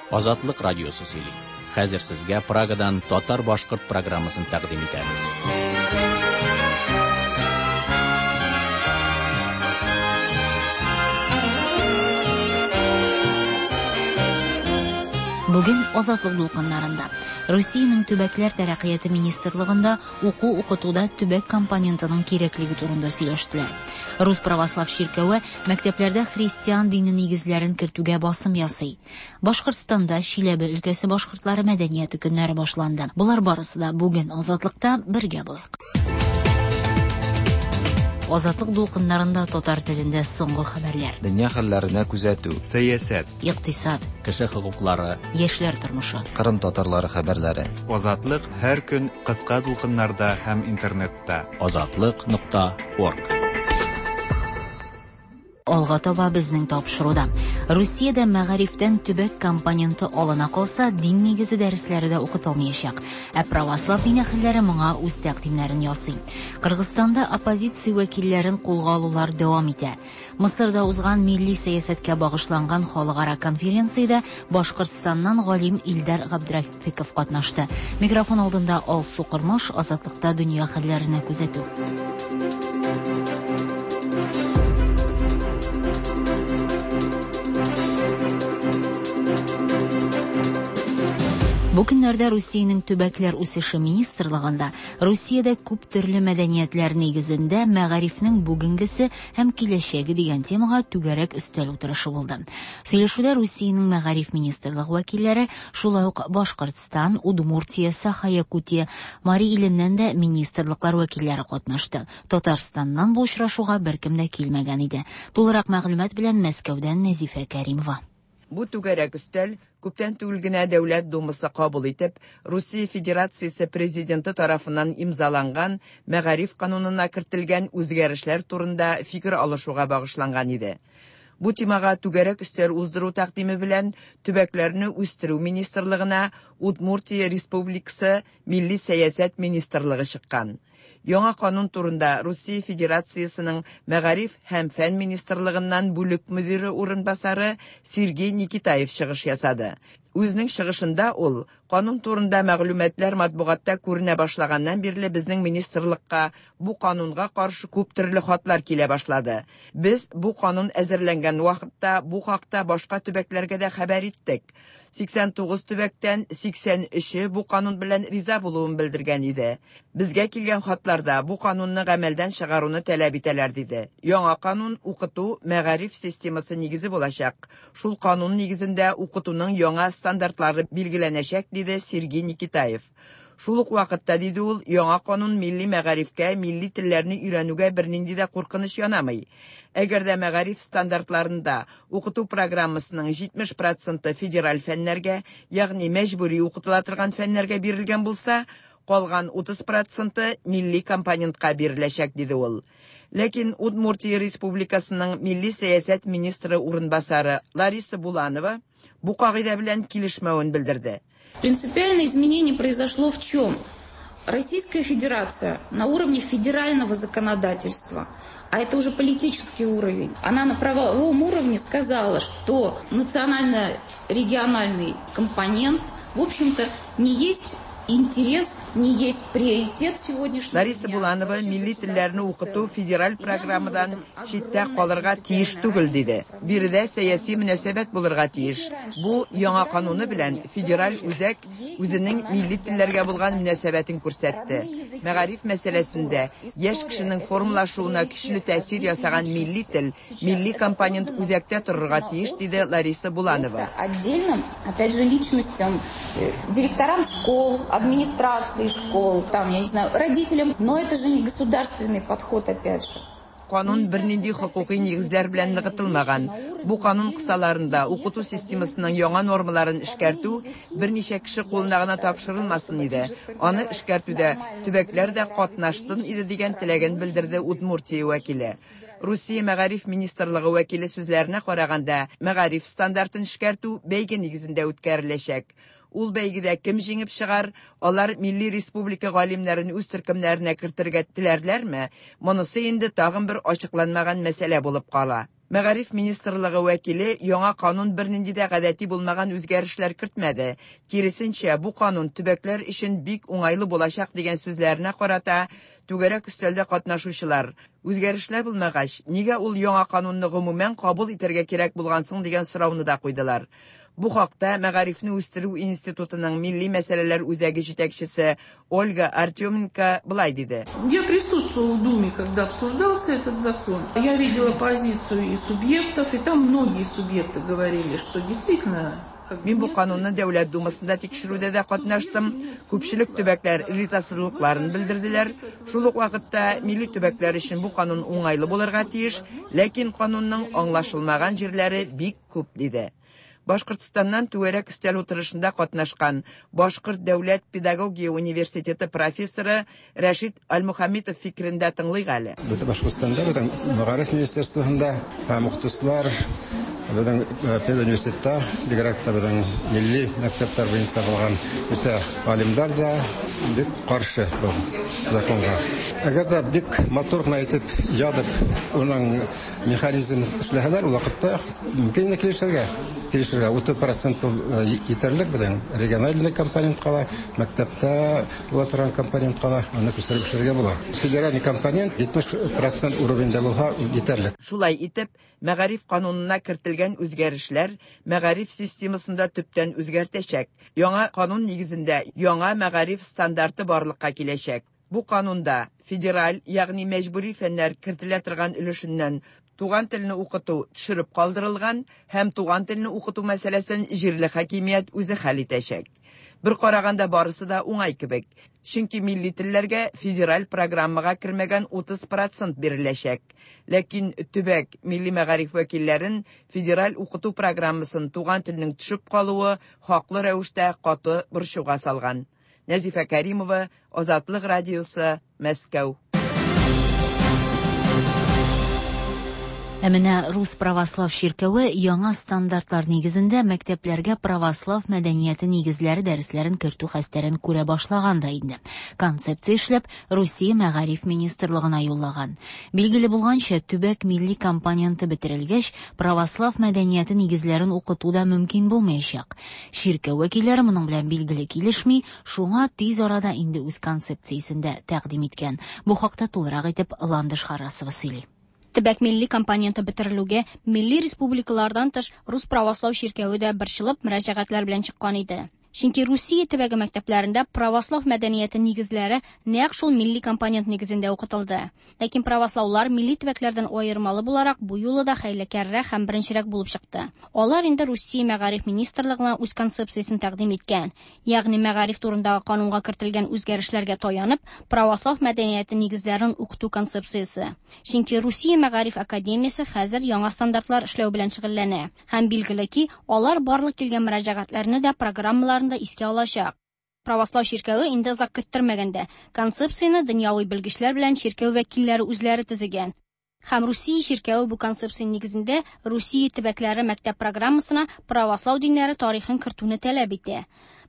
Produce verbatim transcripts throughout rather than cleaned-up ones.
Азатлык радиосы сөйли. Хәзер сезгә Прагадан татар-башкорт программасын тәкъдим итәбез. Бүген Азатлык дулкыннарында Русиянең төбәкләр тәрәккыяте министрлыгында уку-укытуда төбәк компонентының кирәклеге турында сөйләштеләр. Рус православ чиркәве мәктәпләрдә христиан дине нигезләрен кертүгә басым ясый. Башкортстанда Чиләбе өлкәсе башкортлары мәдәнияте көннәре башланды. Болар барысы да бүген Азатлыкта бергә булыйк. Азатлык дулкыннарында татар телендә соңгы хәбәрләр. Дөнья хәлләренә күзәтү. Сәясәт. Икътисад. Кеше хокуклары. Яшьләр тормышы. Кырым татарлары хәбәрләре. Азатлык һәр көн кыска дулкыннарда һәм интернетта. Азатлык нокта орг. Алга таба безнең тапшыруда. Русиядә мәгарифтән төбәк компоненты алына калса, дин нигезе дәресләре дә укытылмаячак. Ә православ дин әһелләре моңа үз тәкъдимнәрен ясый. Кыргызстанда оппозиция вәкилләрен кулга алулар дәвам итә. Мысырда узган милли сәясәткә багышланган халыкара конференциядә Башкортстаннан галим Илдар Габдрафиков катнашты. Микрофон алдында Алсу Кормаш, Азатлыкта дөнья хәлләренә күзәтү. Бу көннәрдә Русиянең төбәкләр үсеше министрлыгында Русиядә күп төрле мәдәниятләр нигезендә мәгарифнең бүгенгесе һәм киләчәге дигән темага түгәрәк өстәл утырышы булды. Сөйләшүдә Русиянең мәгариф министрлыгы вәкилләре, шулай ук Башкортстан, Удмуртия, Саха-Якутия, Мари иленнән дә министрлыклар вәкилләре катнашты. Татарстаннан бу очрашуга беркем дә килмәгән иде. Тулырак мәгълүмат белән Мәскәүдән Нәзифә Кәримова. Бу түгәрәк өстәл күптән түгел генә Дәүләт Думасы кабул итеп, Русия Федерациясе президенты тарафыннан имзаланган мәгариф канунына кертелгән үзгәрешләр турында фикер алышуга багышланган иде. Бу темага түгәрәк өстәл уздыру тәкъдиме белән төбәкләрне үстерү министрлыгына Удмуртия Республикасы Милли сәясәт министрлыгы чыккан. Яңа канун турында Русия Федерациясының Мәгариф һәм фән министрлыгыннан бүлек мөдире урынбасары Сергей Никитаев чыгыш ясады. Үзенең чыгышында ул канун турында мәгълүматлар матбугатта күренә башлаганнан бирле безнең министрлыкка бу канунга каршы күп төрле хатлар килә башлады. Без бу канун әзерләнгән вакытта бу хакта башка төбәкләргә дә хәбәр иттек. сиксән тугыз төбәктән сиксән өче бу канун белән риза булуын белдергән иде. Безгә килгән хатларда бу канунны гамәлдән чыгаруны таләп итәләр диде. Яңа канун укыту мәгариф системасы нигезе булачак. Шул канун нигезендә укытуның яңа стандартлары билгеләнәчәк, диде Сергей Никитаев. Шул ук вакытта, диде ул, яңа канун милли мәгарифкә, милли телләрне өйрәнүгә бернинди дә куркыныч янамый. Әгәр дә мәгариф стандартларында укыту программасының җитмеш проценты федераль фәннәргә, ягъни мәҗбүри укытыла торган фәннәргә бирелгән булса, калган утыз проценты милли компонентка биреләчәк, диде ул. Ләкин Удмуртия Республикасының милли сәясәт министры урынбасары Лариса Буланова бу кагыйдә белән килешмәвен белдерде. Принципиальное изменение произошло в чем? Российская Федерация на уровне федерального законодательства, а это уже политический уровень, она на правовом уровне сказала, что национально-региональный компонент, в общем-то, не есть интерес, не есть приоритет сегодняшнего Лариса дня. Буланова милли телләрне укыту федераль программадан читтә калырга тиеш түгел, диде. Биредә сәяси мөнәсәбәт булырга тиеш. Бу яңа кануны белән федераль үзәк үзенең милли телләргә булган мөнәсәбәтен күрсәтте. Мәгариф мәсьәләсендә яшь кешенең формалашуына көчле тәэсир ясаган милли тел, милли компонент үзәктә торырга тиеш, диде Лариса Буланова. Отдельно, опять же, личностям, директорам школ, администрации школ, там, я не знаю, родителям, но это же не государственный подход, опять же. Канун бернинди хокукый нигезләр белән ныгытылмаган. Бу канун кысаларында укыту системасының яңа нормаларын эшкәртү берничә кеше кулына гына тапшырылмасын иде. Аны эшкәртүдә төбәкләр дә катнашсын иде дигән теләген белдерде Удмуртия вәкиле. Русия Мәгариф министрлыгы вәкиле сүзләренә караганда, мәгариф стандартын эшкәртү бәйге нигезендә үткәреләчәк. Ул бәйгедә кем җиңеп чыгар, алар милли республика галимнәрен үз төркемнәренә кертергә теләрләрме? Монысы инде тагын бер ачыкланмаган мәсьәлә булып кала. Мәгариф министрлыгы вәкиле яңа канун бернинди дә гадәти булмаган үзгәрешләр кертмәде. Киресенчә, бу канун төбәкләр өчен бик уңайлы булачак дигән сүзләренә карата түгәрәк өстәлдә катнашучылар: "Үзгәрешләр булмагач, нигә ул яңа канунны гомумән кабул итәргә кирәк булган соң?" дигән сорауны да куйдылар. Бу хакта Мәгарифне үстерү институтының милли мәсьәләләр үзәге җитәкчесе Ольга Артеменко былай диде. Я присутствовала в Думе, когда обсуждался этот закон. Я видела позицию и субъектов, и там многие субъекты говорили, что действительно. Мин бу канунны Дәүләт Думасында тикшерүдә дә катнаштым. Күпчелек төбәкләр ризасызлыкларын белдерделәр. Шул ук вакытта милли төбәкләр өчен бу канун уңайлы булырга тиеш, ләкин канунның аңлашылмаган җирләре бик күп, диде. Башкортстаннан түгәрәк өстәл утырышында катнашкан Башкорт дәүләт педагогия университеты профессоры Рәшит Альмухаметов фикерен дә тыңлыйк әле. Бөтен Башкортстанда бөтен мәгариф министерствосында һәм укытучылар бөтен педуниверситетта, бигрәк тә бөтен милли мәктәпләр буенча булган үсә галимнәр дә бик каршы бу законга. Әгәр дә бик матур гына итеп язып, уның механизм эшләһәләр, ул вакытта мөмкин килешергә. Килешергә утыз процент етерлек бөтен региональный компонент кала, мәктәптә була торган компонент кала, аны күчереп эшләргә була. Федеральный компонент җитмеш процент уровеньдә булса етерлек. Шулай итеп, мәгариф канунына кертелгән үзгәрешләр мәгариф системасында төптән үзгәртәчәк. Яңа канун нигезендә яңа мәгариф стандарты барлыкка киләчәк. Бу канунда федераль, ягъни мәҗбүри фәннәр кертелә торган өлешеннән туган телне укыту төшереп калдырылган һәм туган телне укыту мәсьәләсен җирле хакимият үзе хәл итәчәк. Бер караганда барысы да уңай кебек. Чөнки милли телләргә федераль программага кермәгән утыз процент биреләчәк. Ләкин төбәк милли мәгариф вәкилләрен федераль укыту программасын туган телнең төшеп калуы хаклы рәвештә каты борчуга салган. Нәзифә Кәримова, Азатлык радиосы, Мәскәү. Ә менә Рус православ чиркәве яңа стандартлар нигезендә мәктәпләргә православ мәдәнияте нигезләре дәресләрен кертү хәстәрен күрә башлаган да инде. Концепция эшләп Русия мәгариф министрлыгына юллаган. Билгеле булганча, төбәк милли компоненты бетерелгәч, православ мәдәнияте нигезләрен укыту да мөмкин булмаячак. Чиркәү вәкилләре моның белән билгеле килешми, шуңа тиз арада инде үз концепциясен дә тәкъдим иткән. Бу хакта тулырак итеп Ландыш Харасова сөйли. Төбәк милли компоненты бетерелүгә милли республикалардан тыш Рус православ чиркәве дә борчылып мөрәҗәгатьләр белән чыккан иде. Чөнки Русия төбәге мәктәпләрендә православ мәдәнияте нигезләре нәкъ шул милли компонент нигезендә укытылды. Ләкин правослаулар милли төбәкләрдән аермалы буларак бу юлы да хәйләкәррәк һәм беренчерәк булып чыкты. Алар инде Русия мәгариф министрлыгына үз концепциясен тәкъдим иткән, ягъни мәгариф турындагы канунга кертелгән үзгәрешләргә таянып, православ мәдәнияте нигезләрен укыту концепциясе. Чөнки Русия мәгариф академиясе хәзер яңа стандартлар эшләү белән шөгыльләнә һәм билгеле ки, алар барлык килгән мөрәҗәгатьләрне дә программалар искә алачак. Православ чиркәве инде озак көттермәгәндә концепцияне дөньяви белгечләр белән чиркәү вәкилләре үзләре төзегән. Һәм Русия чиркәве бу концепция нигезендә Русия төбәкләре мәктәп программасына православ диннәре тарихын кертүне таләп итә.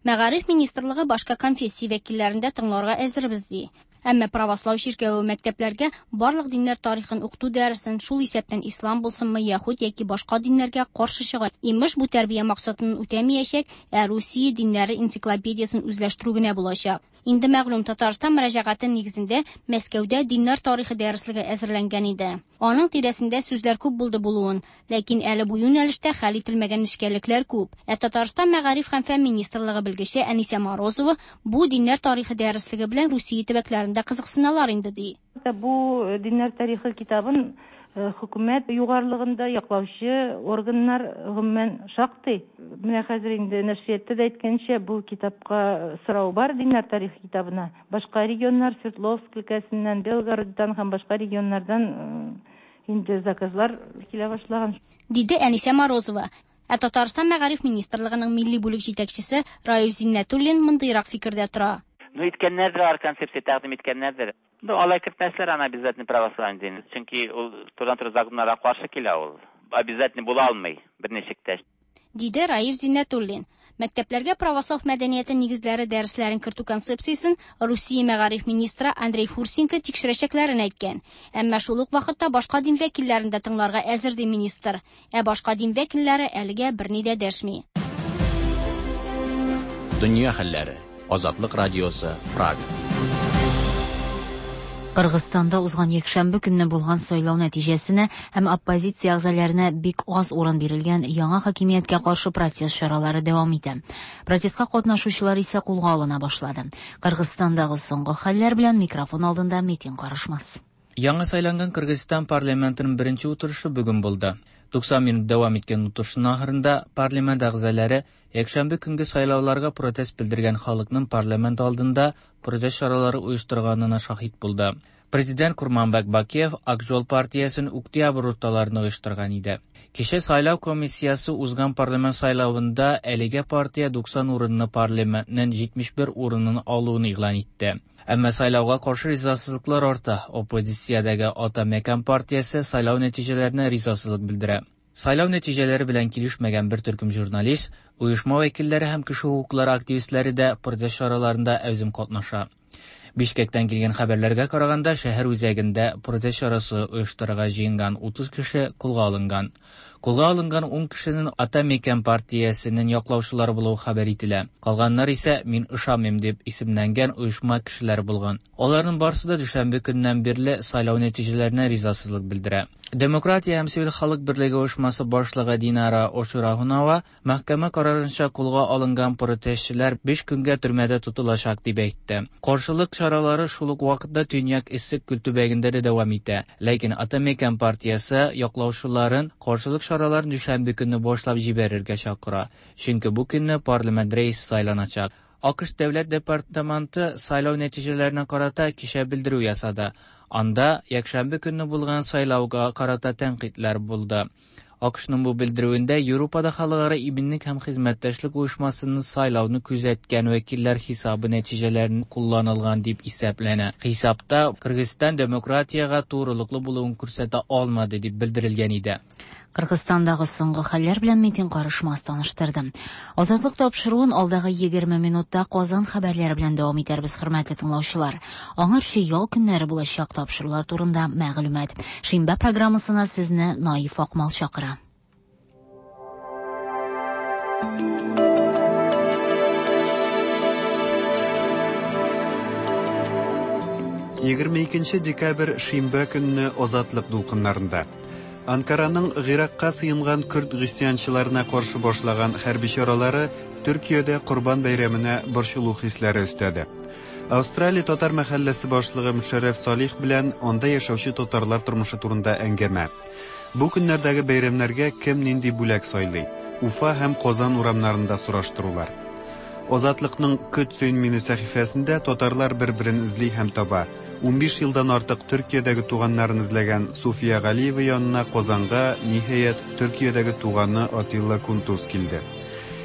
Мәгариф министрлыгы башка конфессия вәкилләрен дә тыңларга әзербез ди. Әмма православ чиркәве мәктәпләргә барлык диннәр тарихын укыту дәресен, шул исәптән ислам булсынмы, яһүд яки башка диннәргә каршы чыга. Имеш, бу тәрбия максатын үтәмәячәк, ә Русия диннәре энциклопедиясен үзләштерү генә булачак. Инде мәгълүм, Татарстан мөрәҗәгате нигезендә Мәскәүдә диннәр тарихы дәреслеге әзерләнгән иде. Аның тирәсендә сүзләр күп булды булуын, ләкин әле бу юнәлештә хәл ителмәгән нечкәлекләр күп. Ә Татарстан мәгариф һәм фән министрлыгы белгече Әнисә Морозова бу диннәр тарихы дәреслеге белән Русия төбәкләрендә кызыксыналар инде ди. Бу диннәр тарихы китабын хөкүмәт югарылыгында яклаучы органнар гомумән шактый. Менә хәзер инде нәшриятта да әйткәнчә, бу китапка сорау бар, диннәр тарихы китабына. Башка регионнар, Свердловск өлкәсеннән, Белгородтан һәм башка регионнардан инде заказлар килә башлаган, диде Әнисә Морозова. Ә Татарстан мәгариф министрлыгының милли бүлек җитәкчесе Раиф Зиннәтуллин мондыйрак фикердә тора. Ну, иткәннәрдер, алар концепция тәкъдим иткәннәрдер. Ну, алай кертмәсләр аны обязательно православный дин. Чөнки ул турыдан-туры законнарга каршы килә ул. Обязательно була алмый берничек тә. диде Раиф Зиннәтуллин. Мәктәпләргә православ мәдәнияте нигезләре дәресләрен кертү концепциясен Русия мәгариф министры Андрей Фурсенко тикшерәчәкләрен әйткән. Әмма шул ук вакытта башка дин вәкилләрен дә тыңларга әзер, ди министр. Ә башка дин вәкилләре әлегә берни дә дәшми. Дөнья хәлләре. Азатлык радиосы, Прага. Кыргызстанда узган якшәмбе көнне булган сайлау нәтиҗәсенә һәм оппозиция әгъзаларына бик аз урын бирелгән яңа хакимияткә каршы протест чаралары дәвам итә. Протестка катнашучылар исә кулга алына башлады. Кыргызстандагы соңгы хәлләр белән микрофон алдында Метин Карышмас. Яңа сайланган Кыргызстан парламентының беренче утырышы бүген булды. туксан минут дәвам иткән утырышның ахырында парламент әгъзалары якшәмбе көнге сайлауларга протест белдергән халыкның парламент алдында протест чаралары оештырганына шаһит булды. Президент Курманбек Бакиев Ак жол партиясен октябрь урталарында оештырган иде. Кичә сайлау комиссиясе узган парламент сайлавында әлеге партия туксан урынны парламентның җитмеш бер урынын алуын игълан итте. Әмма сайлауга каршы ризасызлыклар арта. Оппозициядәге Ата Мекан партиясе сайлау нәтиҗәләренә ризасызлык белдерә. Сайлау нәтиҗәләре белән килешмәгән бер төркем журналист, оешма вәкилләре һәм кеше хокуклары активистлары да протест чараларында әүзем катнаша. Бишкектән килгән хәбәрләргә караганда, шәһәр үзәгендә протест чарасы оештырырга җыенган утыз кеше кулга алынган. Кулга алынган ун кешенең Ата Мекан партиясенең яклаучылары булуы хәбәр ителә. Калганнар исә «Мин ышанмыйм» дип исемләнгән оешма кешеләре булган. Аларның барысы да дүшәмбе көннән бирле сайлау нәтиҗәләренә ризасызлык белдерә. Демократия һәм сивил халык берлеге оешмасы башлыгы Динара Ошурахунова мәхкәмә карарынча кулга алынган протестчылар биш көнгә төрмәдә тотылачак дип әйтте. Каршылык чаралары шул ук вакытта Төньяк Иссык күл төбәгендә дә дәвам итә. Ләкин Ата Мекан партиясе яклаучыларын каршылык чараларын дүшәмбе көнне башлап җибәрергә чакыра. Чөнки бу көнне парламент рәисе сайланачак. АКШ Дәүләт департаменты сайлау нәтиҗәләренә карата кичә белдерү ясады. Анда якшәмбе көнне булган сайлауга карата тәнкыйтьләр булды. АКШның бу белдерүендә Европада халыкара иминлек һәм хезмәттәшлек оешмасының сайлауны күзәткән вәкилләр хисабы нәтиҗәләрен кулланылган дип исәпләнә. Хисапта Кыргызстан демократиягә турылыклы булуын күрсәтә алмады дип белдерелгән иде. Кыргызстандагы соңгы хәлләр белән Метин Карышмас таныштырды. Азатлык тапшыруын алдагы егерме минутта Казан хәбәрләре белән дәвам итәрбез, хөрмәтле тыңлаучылар. Аңарчы ял көннәре булачак тапшырулар турында мәгълүмат. Шимбә программасына сезне Наиф Акмал чакыра. Егерме икенче декабрь шимбә көнне Азатлык дулкыннарында. Анкараның Гыйракка сыенган көрд гыйсьянчыларына каршы башлаган хәрби чаралары Төркиядә Корбан бәйрәменә борчылу хисләре өстәде. Австралия татар мәхәлләсе башлыгы Мөшәррәф Салих белән анда яшәүче татарлар тормышы турында әңгәмә. Бу көннәрдәге бәйрәмнәргә кем нинди бүләк сайлый? Уфа һәм Казан урамнарында сораштырулар. Азатлыкның Көт сөен мине сәхифәсендә татарлар бер-берен эзли һәм таба. Унбиш елдан артык Төркиядәге туганнарын эзләгән Суфия Галиева янына Казанга ниһаять Төркиядәге туганы Атилла Кунтуз килде.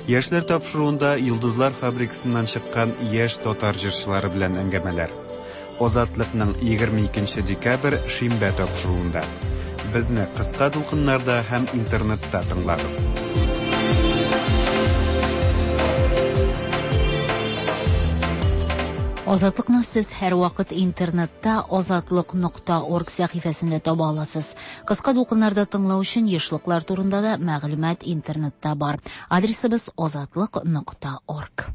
Яшьләр тапшыруында Йолдызлар фабрикасыннан чыккан яшь татар җырчылары белән әңгәмәләр. Азатлыкның егерме икенче декабрь шимбә тапшыруында. Безне кыска дулкыннарда һәм интернетта тыңлагыз. Азатлыкны сез һәр вакыт интернетта азатлык нокта орг сәхифәсендә таба аласыз. Кыска дулкыннарда тыңлау өчен ешлыклар турында да мәгълүмат интернетта бар. Адресыбыз азатлык нокта орг.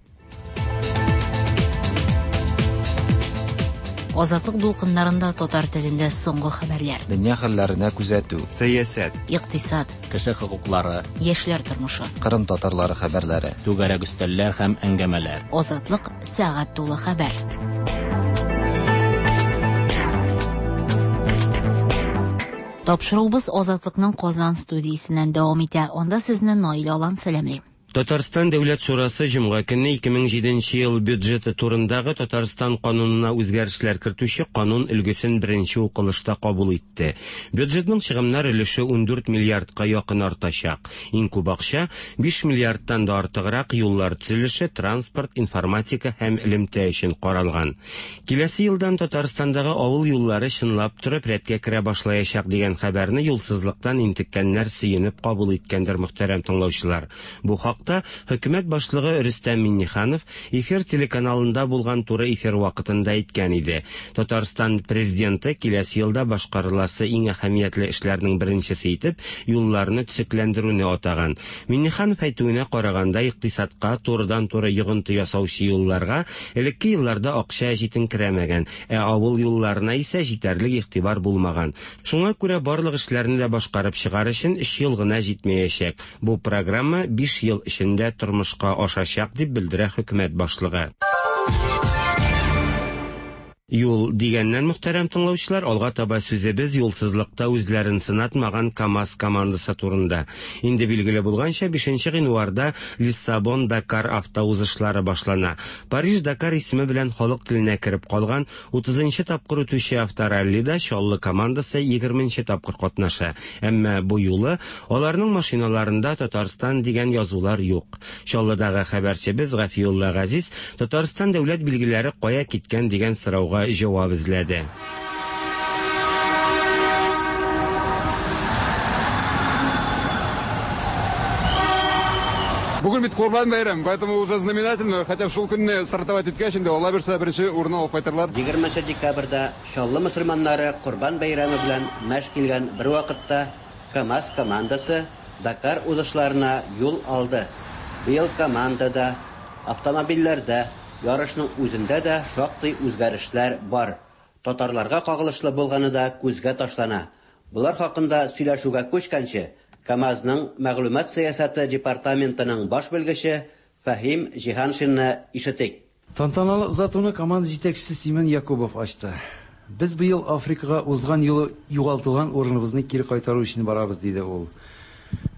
Азатлык дулкыннарында татар телендә соңгы хәбәрләр. Дөнья хәлләренә күзәтү. Сәясәт. Икътисад. Кеше хокуклары. Яшьләр тормышы. Кырым татарлары хәбәрләре. Түгәрәк өстәлләр һәм әңгәмәләр. Азатлык сәгать тулы хәбәр. Тапшыруыбыз Азатлыкның Казан студиясеннән дәвам итә. Анда сезне Наилә Алан сәламли. Татарстан Дәүләт шурасы җомга көнне ике мең җиденче ел бюджеты турындагы Татарстан канунына үзгәрешләр кертүче канун өлгесен беренче укылышта кабул итте. Бюджетның чыгымнар өлеше ундүрт миллиардка якын артачак. Иң күп акча биш миллиардтан да артыграк юллар төзелеше, транспорт, информатика һәм элемтә өчен каралган. Киләсе елдан Татарстандагы авыл юллары чынлап торып рәткә керә башлаячак дигән хәбәрне юлсызлыктан интеккәннәр сөенеп кабул иткәндер, мөхтәрәм тыңлаучылар. Бу хакта хөкүмәт башлыгы Рөстәм Миңнеханов эфир телеканалында булган туры эфир вакытында әйткән иде. Татарстан президенты киләсе елда башкарыласы иң әһәмиятле эшләрнең беренчесе итеп юлларны төзекләндерүне атаган. Миңнеханов әйтүенә караганда, икътисадка турыдан-туры йогынты ясаучы юлларга элекке елларда акча җитенкерәмәгән, ә авыл юлларына исә җитәрлек игътибар булмаган. Шуңа күрә барлык эшләрне дә башкарып чыгар өчен өч ел гына җитмәячәк. Бу программа биш ел эчендә тормышка ашачак, дип белдерә хөкүмәт башлыгы. Юл дигәннән, мөхтәрәм тыңлаучылар, алга таба сүзебез юлсызлыкта үзләрен сынатмаган КАМАЗ командасы турында. Инде билгеле булганча, бишенче гыйнварда Лиссабон-Дакар автоузышлары башлана. Париж-Дакар исеме белән халык теленә кереп калган утызынчы тапкыр үтүче автораллида Чаллы командасы егерменче тапкыр катнаша. Әмма бу юлы аларның машиналарында Татарстан дигән язулар юк. Чаллыдагы хәбәрчебез Гафиулла Газиз Татарстан дәүләт билгеләре кая киткән дигән сорауга җавап эзләде. Бүген бит Корбан бәйрәм, поэтому уже знаменательно, хотя шул көнне стартовать иткәч инде, Алла бирсә, беренче урын алып кайтырлар. Егерменче декабрьдә Чаллы мөселманнары Корбан бәйрәме белән мәш килгән бер вакытта КАМАЗ командасы Дакар узышларына юл алды. Быел командада, автомобильләрдә, ярышның үзендә дә шактый үзгәрешләр бар. Татарларга кагылышлы булганы да күзгә ташлана. Булар хакында сөйләшүгә күчкәнче, КАМАЗның мәгълүмат сәясәте департаментының баш белгече Фәһим Җиһаншинны ишетик. Тантаналы озатуны команда җитәкчесе Семен Якубов ачты. Без быел Африкага узган юлы югалтылган урыныбызны кире кайтару өчен барабыз, диде ул.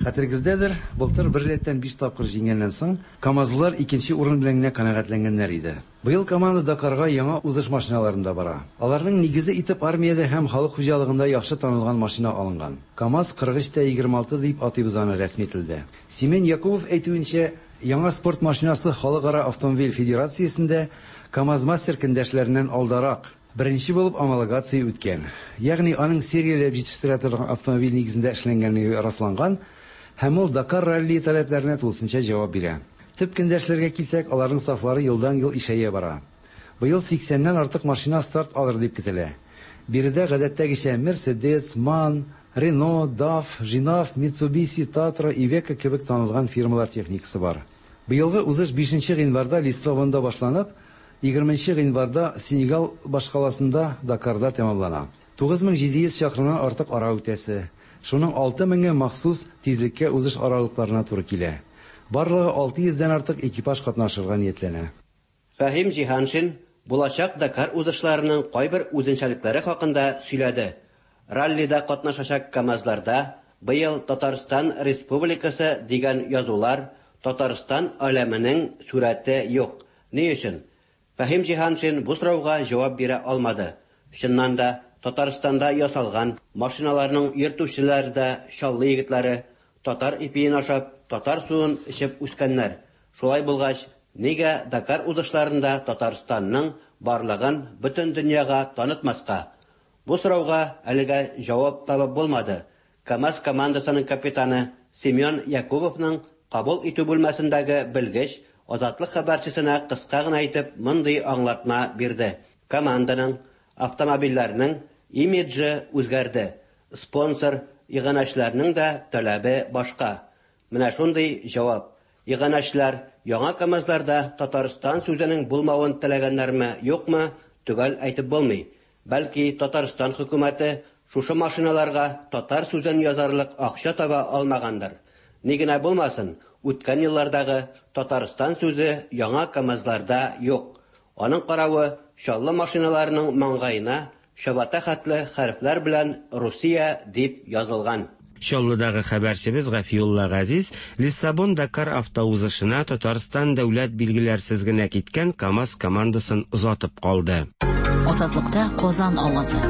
Хәтерегездәдер, былтыр бер рәттән биш тапкыр җиңгәннән соң, КАМАЗлылар икенче урын белән генә канәгатьләнгәннәр иде. Быел команда Дакарга яңа узыш машиналарында бара. Аларның нигезе итеп армиядә һәм халык хуҗалыгында яхшы танылган машина алынган. КАМАЗ кырык өч тә егерме алты дип атыйбыз аны рәсми телдә. Семен Якубов әйтүенчә, яңа спорт машинасы Халыкара автомобиль федерациясендә КАМАЗ мастер көндәшләреннән алдарак беренче булып homологация үткән. Ягъни аның серияләп җитештерә торган автомобиль нигезендә эшләнгәнлеге расланган һәм ул Дакар ралли таләпләренә тулысынча җавап бирә. Төп көндәшләргә килсәк, аларның сафлары елдан-ел ишәя бара. Быел сиксәннән артык машина старт алыр дип көтелә. Биредә гадәттәгечә Mercedes, MAN, Renault, DAF, Жинав, Mitsubishi, Tatra, Iveco кебек танылган фирмалар техникасы бар. Быелгы узыш бишенче гыйнварда Лиссабонда башланып, егерменче гыйнварда Сенегал башкаласында Дакарда тәмамлана. Тугыз мең җиде йөз чакрымнан артык ара үтәсе. Шуның алты меңе махсус тизлеккә узыш аралыкларына туры килә. Барлыгы алты йөздән артык экипаж катнашырга ниятләнә. Фәһим Җиһаншин булачак Дакар узышларының кайбер үзенчәлекләре хакында сөйләде. Раллида катнашачак КАМАЗларда быел Татарстан Республикасы дигән язулар, Татарстан аләменең сурәте юк. Ни өчен? Фәһим Җиһаншин бу сорауга җавап бирә алмады. Чыннан да Татарстанда ясалган машиналарның йөртүчеләре дә Чаллы егетләре, татар ипиен ашап, татар суын эчеп үскәннәр. Шулай булгач, нигә Дакар узышларында Татарстанның барлыгын бөтен дөньяга танытмаска? Бу сорауга әлегә җавап табып булмады. КАМАЗ командасының капитаны Семен Якубовның кабул итү бүлмәсендәге белгеч Азатлык хәбәрчесенә кыска гына итеп мондый аңлатма бирде. Команданың, автомобильләрнең имиджы үзгәрде. Спонсор, иганәчеләрнең дә таләбе башка. Менә шундый җавап. Иганәчеләр яңа КАМАЗларда Татарстан сүзенең булмавын теләгәннәрме, юкмы, төгәл әйтеп булмый. Бәлки Татарстан хөкүмәте шушы машиналарга татар сүзен язарлык акча таба алмагандыр. Ни генә булмасын, үткән еллардагы Татарстан сүзе яңа КАМАЗларда юк. Аның каравы Чаллы машиналарының маңгаена чабата хәтле хәрефләр белән Русия дип язылган. Чаллыдагы хәбәрчебез Гафиулла Газиз Лиссабон Дакар автоузышына Татарстан дәүләт билгеләрсез генә киткән КАМАЗ командасын озатып калды. Азатлыкта Казан авазы.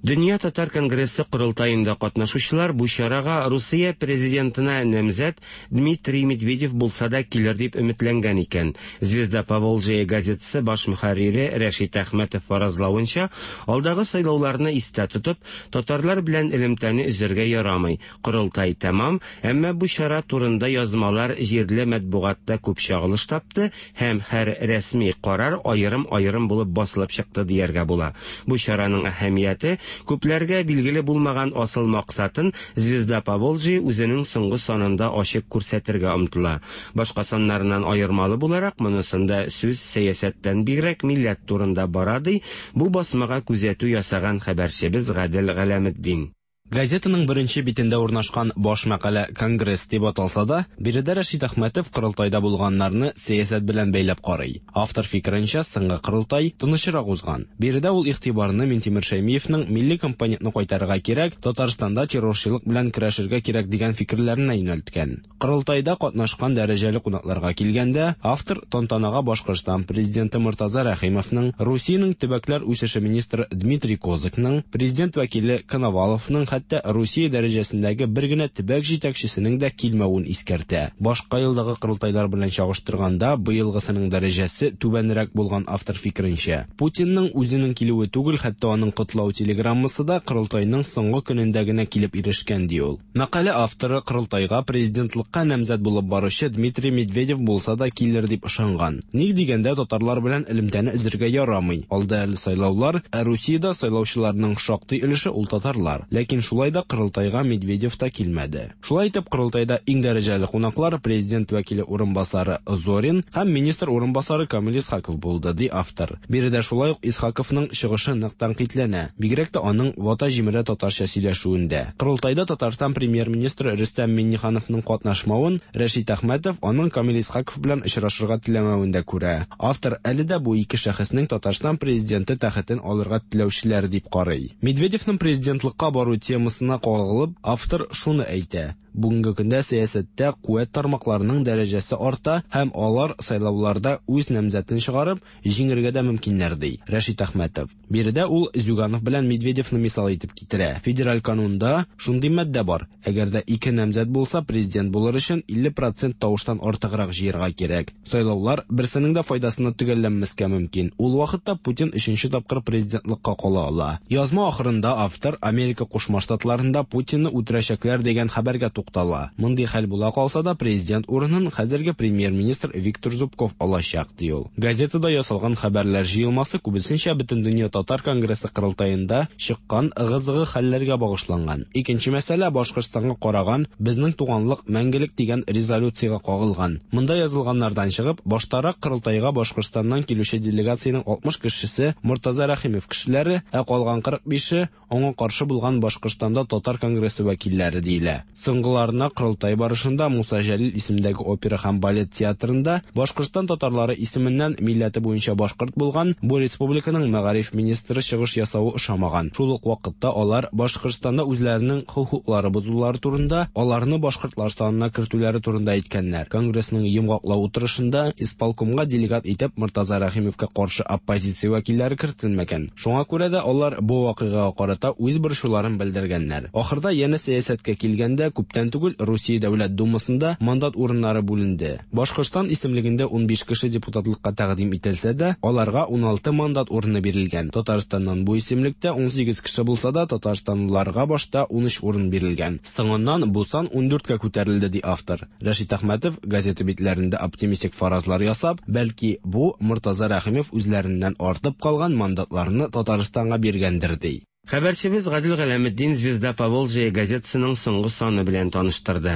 Дөнья татар конгрессы корылтаенда катнашучылар бу чарага Русия президентына намзәт Дмитрий Медведев булса да килер дип өметләнгән икән. Звезда Поволжья газетасы баш мөхәррире Рәшит Әхмәтов фаразлавынча, алдагы сайлауларны истә тотып, татарлар белән элемтәне өзәргә ярамый. Корылтай тәмам, әмма бу чара турында язмалар җирле матбугатта күп чагылыш тапты һәм һәр рәсми карар аерым-аерым булып басылып чыкты дияргә була. Бу чараның әһәмияте күпләргә билгеле булмаган асыл максатын Звезда Поволжья үзенең соңгы санында ачык күрсәтергә омтыла. Башка саннарыннан аермалы буларак, монысында сүз сәясәттән бигрәк милләт турында бара, ди бу басмага күзәтү ясаган хәбәрчебез Гадел Галәметдин. Газетаның беренче битендә урнашкан баш мәкалә «Конгресс» дип аталса да, биредә Рәшит Әхмәтов корылтайда булганнарны сәясәт белән бәйләп карый. Автор фикеренчә, соңгы корылтай тынычрак узган. Биредә ул игътибарны Минтимер Шәймиевның милли компонентны кайтарырга кирәк, Татарстанда террорчылык белән көрәшергә кирәк дигән фикерләренә юнәлткән. Корылтайда катнашкан дәрәҗәле кунакларга килгәндә, автор тантанага Башкортстан президенты Мортаза Рәхимовның, Русиянең төбәкләр үсеше министры Дмитрий Козыкның, президент вәкиле Коноваловның, хәтта Русия дәрәҗәсендәге бер генә төбәк җитәкчесенең дә килмәвен искәртә. Башка елдагы корылтайлар белән чагыштырганда, быелгысының дәрәҗәсе түбәнрәк булган автор фикеренчә. Путинның үзенең килүе түгел, хәтта аның котлау телеграммасы да корылтайның соңгы көнендә генә килеп ирешкән, ди ул. Мәкалә авторы корылтайга президентлыкка намзәт булып баручы Дмитрий Медведев булса да килер дип ышанган. Ник дигәндә, татарлар белән элемтәне өзергә ярамый. Алда әле сайлаулар, ә Русиядә сайлаучыларның шактый өлеше ул татарлар. Ләкин шулай да корылтайга Медведев та килмәде. Шулай итеп, корылтайда иң дәрәҗәле кунаклар президент вәкиле урынбасары Зорин һәм министр урынбасары Камил Исхаков булды, ди автор. Биредә шулай ук Исхаковның чыгышы нык тәнкыйтьләнә, бигрәк тә аның вата җимерә татарча сөйләшүендә. Корылтайда Татарстан премьер-министры Рөстәм Миңнехановның катнашмавын Рәшит Әхмәтов аның Камил Исхаков белән очрашырга теләмәвен дә күрә. Автор әле дә бу ике шәхеснең Татарстан президенты тәхетен алырга теләүчеләр дип карый. Медведевның президентлыкка бару темасына кагылып, автор шуны әйтә: бүгенге көндә сәясәттә куәт тармакларының дәрәҗәсе арта һәм алар сайлауларда үз намзәтен чыгарып, җиңергә дә мөмкиннәр, ди Рәшит Әхмәтов. Биредә ул Зюганов белән Медведевны мисал итеп китерә. Федераль канунда шундый маддә бар: әгәр дә ике намзәт булса, президент булыр өчен илле процент тавыштан артыграк җыярга кирәк. Сайлаулар берсенең дә файдасына төгәлләнмәскә мөмкин. Ул вакытта Путин өченче тапкыр президентлыкка кала ала. Язма ахырында автор Америка Кушма Штатларында Путинны үтерәчәкләр дигән хәбәргә туктала. Мондый хәл була калса да, президент урынын хәзерге премьер-министр Виктор Зубков алачак, ди ул. Газетада ясалган хәбәрләр җыелмасы күбесенчә Бөтендөнья татар конгрессы корылтаенда чыккан ыгы-зыгы хәлләргә багышланган. Икенче мәсьәлә Башкортстанга караган «Безнең туганлык мәңгелек» дигән резолюциягә кагылган. Монда язылганнардан чыгып, баштарак корылтайга Башкортстаннан килүче делегациянең алтмыш кешесе Мортаза Рәхимов кешеләре, ә калган кырык бише аңа каршы булган Башкортстанда татар конгрессы вәкилләре диелә. Соңгыларына корылтай барышында Муса Җәлил исемендәге опера һәм балет театрында Башкортстан татарлары исеменнән милләте буенча башкорт булган бу республиканың мәгариф министры чыгыш ясавы ошамаган. Шул ук вакытта алар Башкортстанда үзләренең хокуклары бозулары турында, аларны башкортлар санына кертүләре турында әйткәннәр. Конгрессның йомгаклау утырышында исполкомга делегат итеп Мортаза Рәхимовка каршы оппозиция вәкилләре кертелмәгән. Шуңа күрә дә алар бу вакыйгага карата үз борчуларын белдергәннәр. Ахырда янә сәясәткә килгәндә, күптән түгел Русия Дәүләт Думасында мандат урыннары бүленде. Башкортстан исемлегендә унбиш кеше депутатлыкка тәкъдим ителсә дә, аларга уналты мандат урыны бирелгән. Татарстаннан бу исемлектә унсигез кеше булса да, татарстанлыларга башта унөч урын бирелгән. Соңыннан бу сан ундүрткә күтәрелде, ди автор. Рәшит Әхмәтов газета битләрендә оптимистик фаразлар ясап, бәлки бу Мортаза Рәхимов үзләреннән артып калган мандатларны Татарстанга биргәндер, ди. Хәбәрчебез Гадел Галәметдин Звезда Поволжья газетасының соңгы саны белән таныштырды.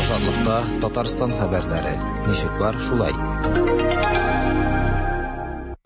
Азатлыкта Татарстан хәбәрләре. Ничек бар, шулай.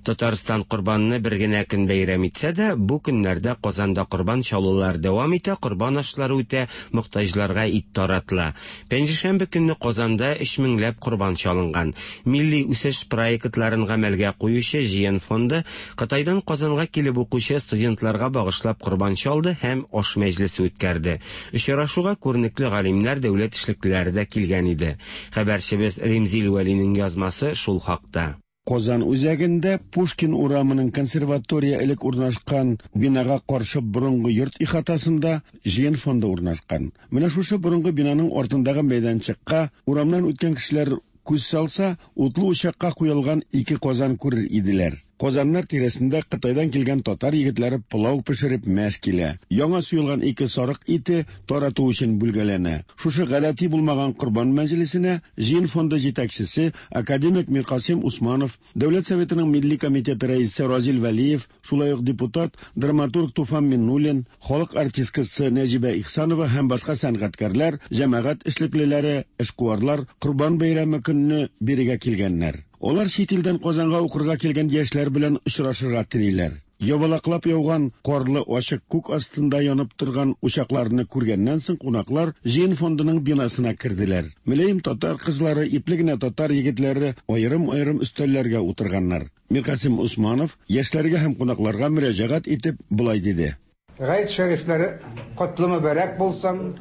Татарстан корбанны бер генә көн бәйрәм итсә дә, бу көннәрдә Казанда корбан чалулар дәвам итә, корбан ашлары үтә, мохтаҗларга ит таратыла. Пәнҗешәмбе көнне Казанда өч меңләп корбан чалынган. Милли үсеш проектларын гамәлгә куючы Җыен фонды Кытайдан Казанга килеп укучы студентларга багышлап корбан чалды һәм аш мәҗлесе үткәрде. Очрашуга күренекле галимнәр, дәүләт эшлеклеләре дә килгән иде. Хәбәрчебез Римзил Вәлинең язмасы шул хакта. Казан үзәгендә Пушкин урамының консерватория элек урнашкан бинага каршы борынгы йорт ихатасында Җыен фонды урнашкан. Менә шушы борынгы бинаның артындагы мәйданчыкка урамнан үткән кешеләр күз салса, утлы учакка куелган ике казан күрер иделәр. Казаннар тирәсендә Кытайдан килгән татар егетләре пылау пешереп мәш килә. Яңа суелган ике сарык ите тарату өчен бүлгәләнә. Шушы гадәти булмаган корбан мәҗлесенә Җыен фонды җитәкчесе академик Миркасыйм Усманов, Дәүләт Советының Милли комитеты рәисе Разил Вәлиев, шулай ук депутат, драматург Туфан Миннуллин, халык артисткасы Нәҗибә Ихсанова һәм башка сәнгатькәрләр, җәмәгать эшлеклеләре, эшкуарлар Корбан бәйрәме көнне бирегә килгәннәр. Алар чит илдән Казанга укырга килгән яшьләр белән очрашырга телиләр. Ябалаклап яуган карлы ачык күк астында янып торган учакларны күргәннән соң кунаклар Җыен фондының бинасына керделәр. Мөлаем татар кызлары, ипле генә татар егетләре аерым-аерым өстәлләргә утырганнар. Миркасыйм Усманов яшьләргә һәм кунакларга мөрәҗәгать итеп болай диде. Гает шәрифләре котлы мөбарәк булсын.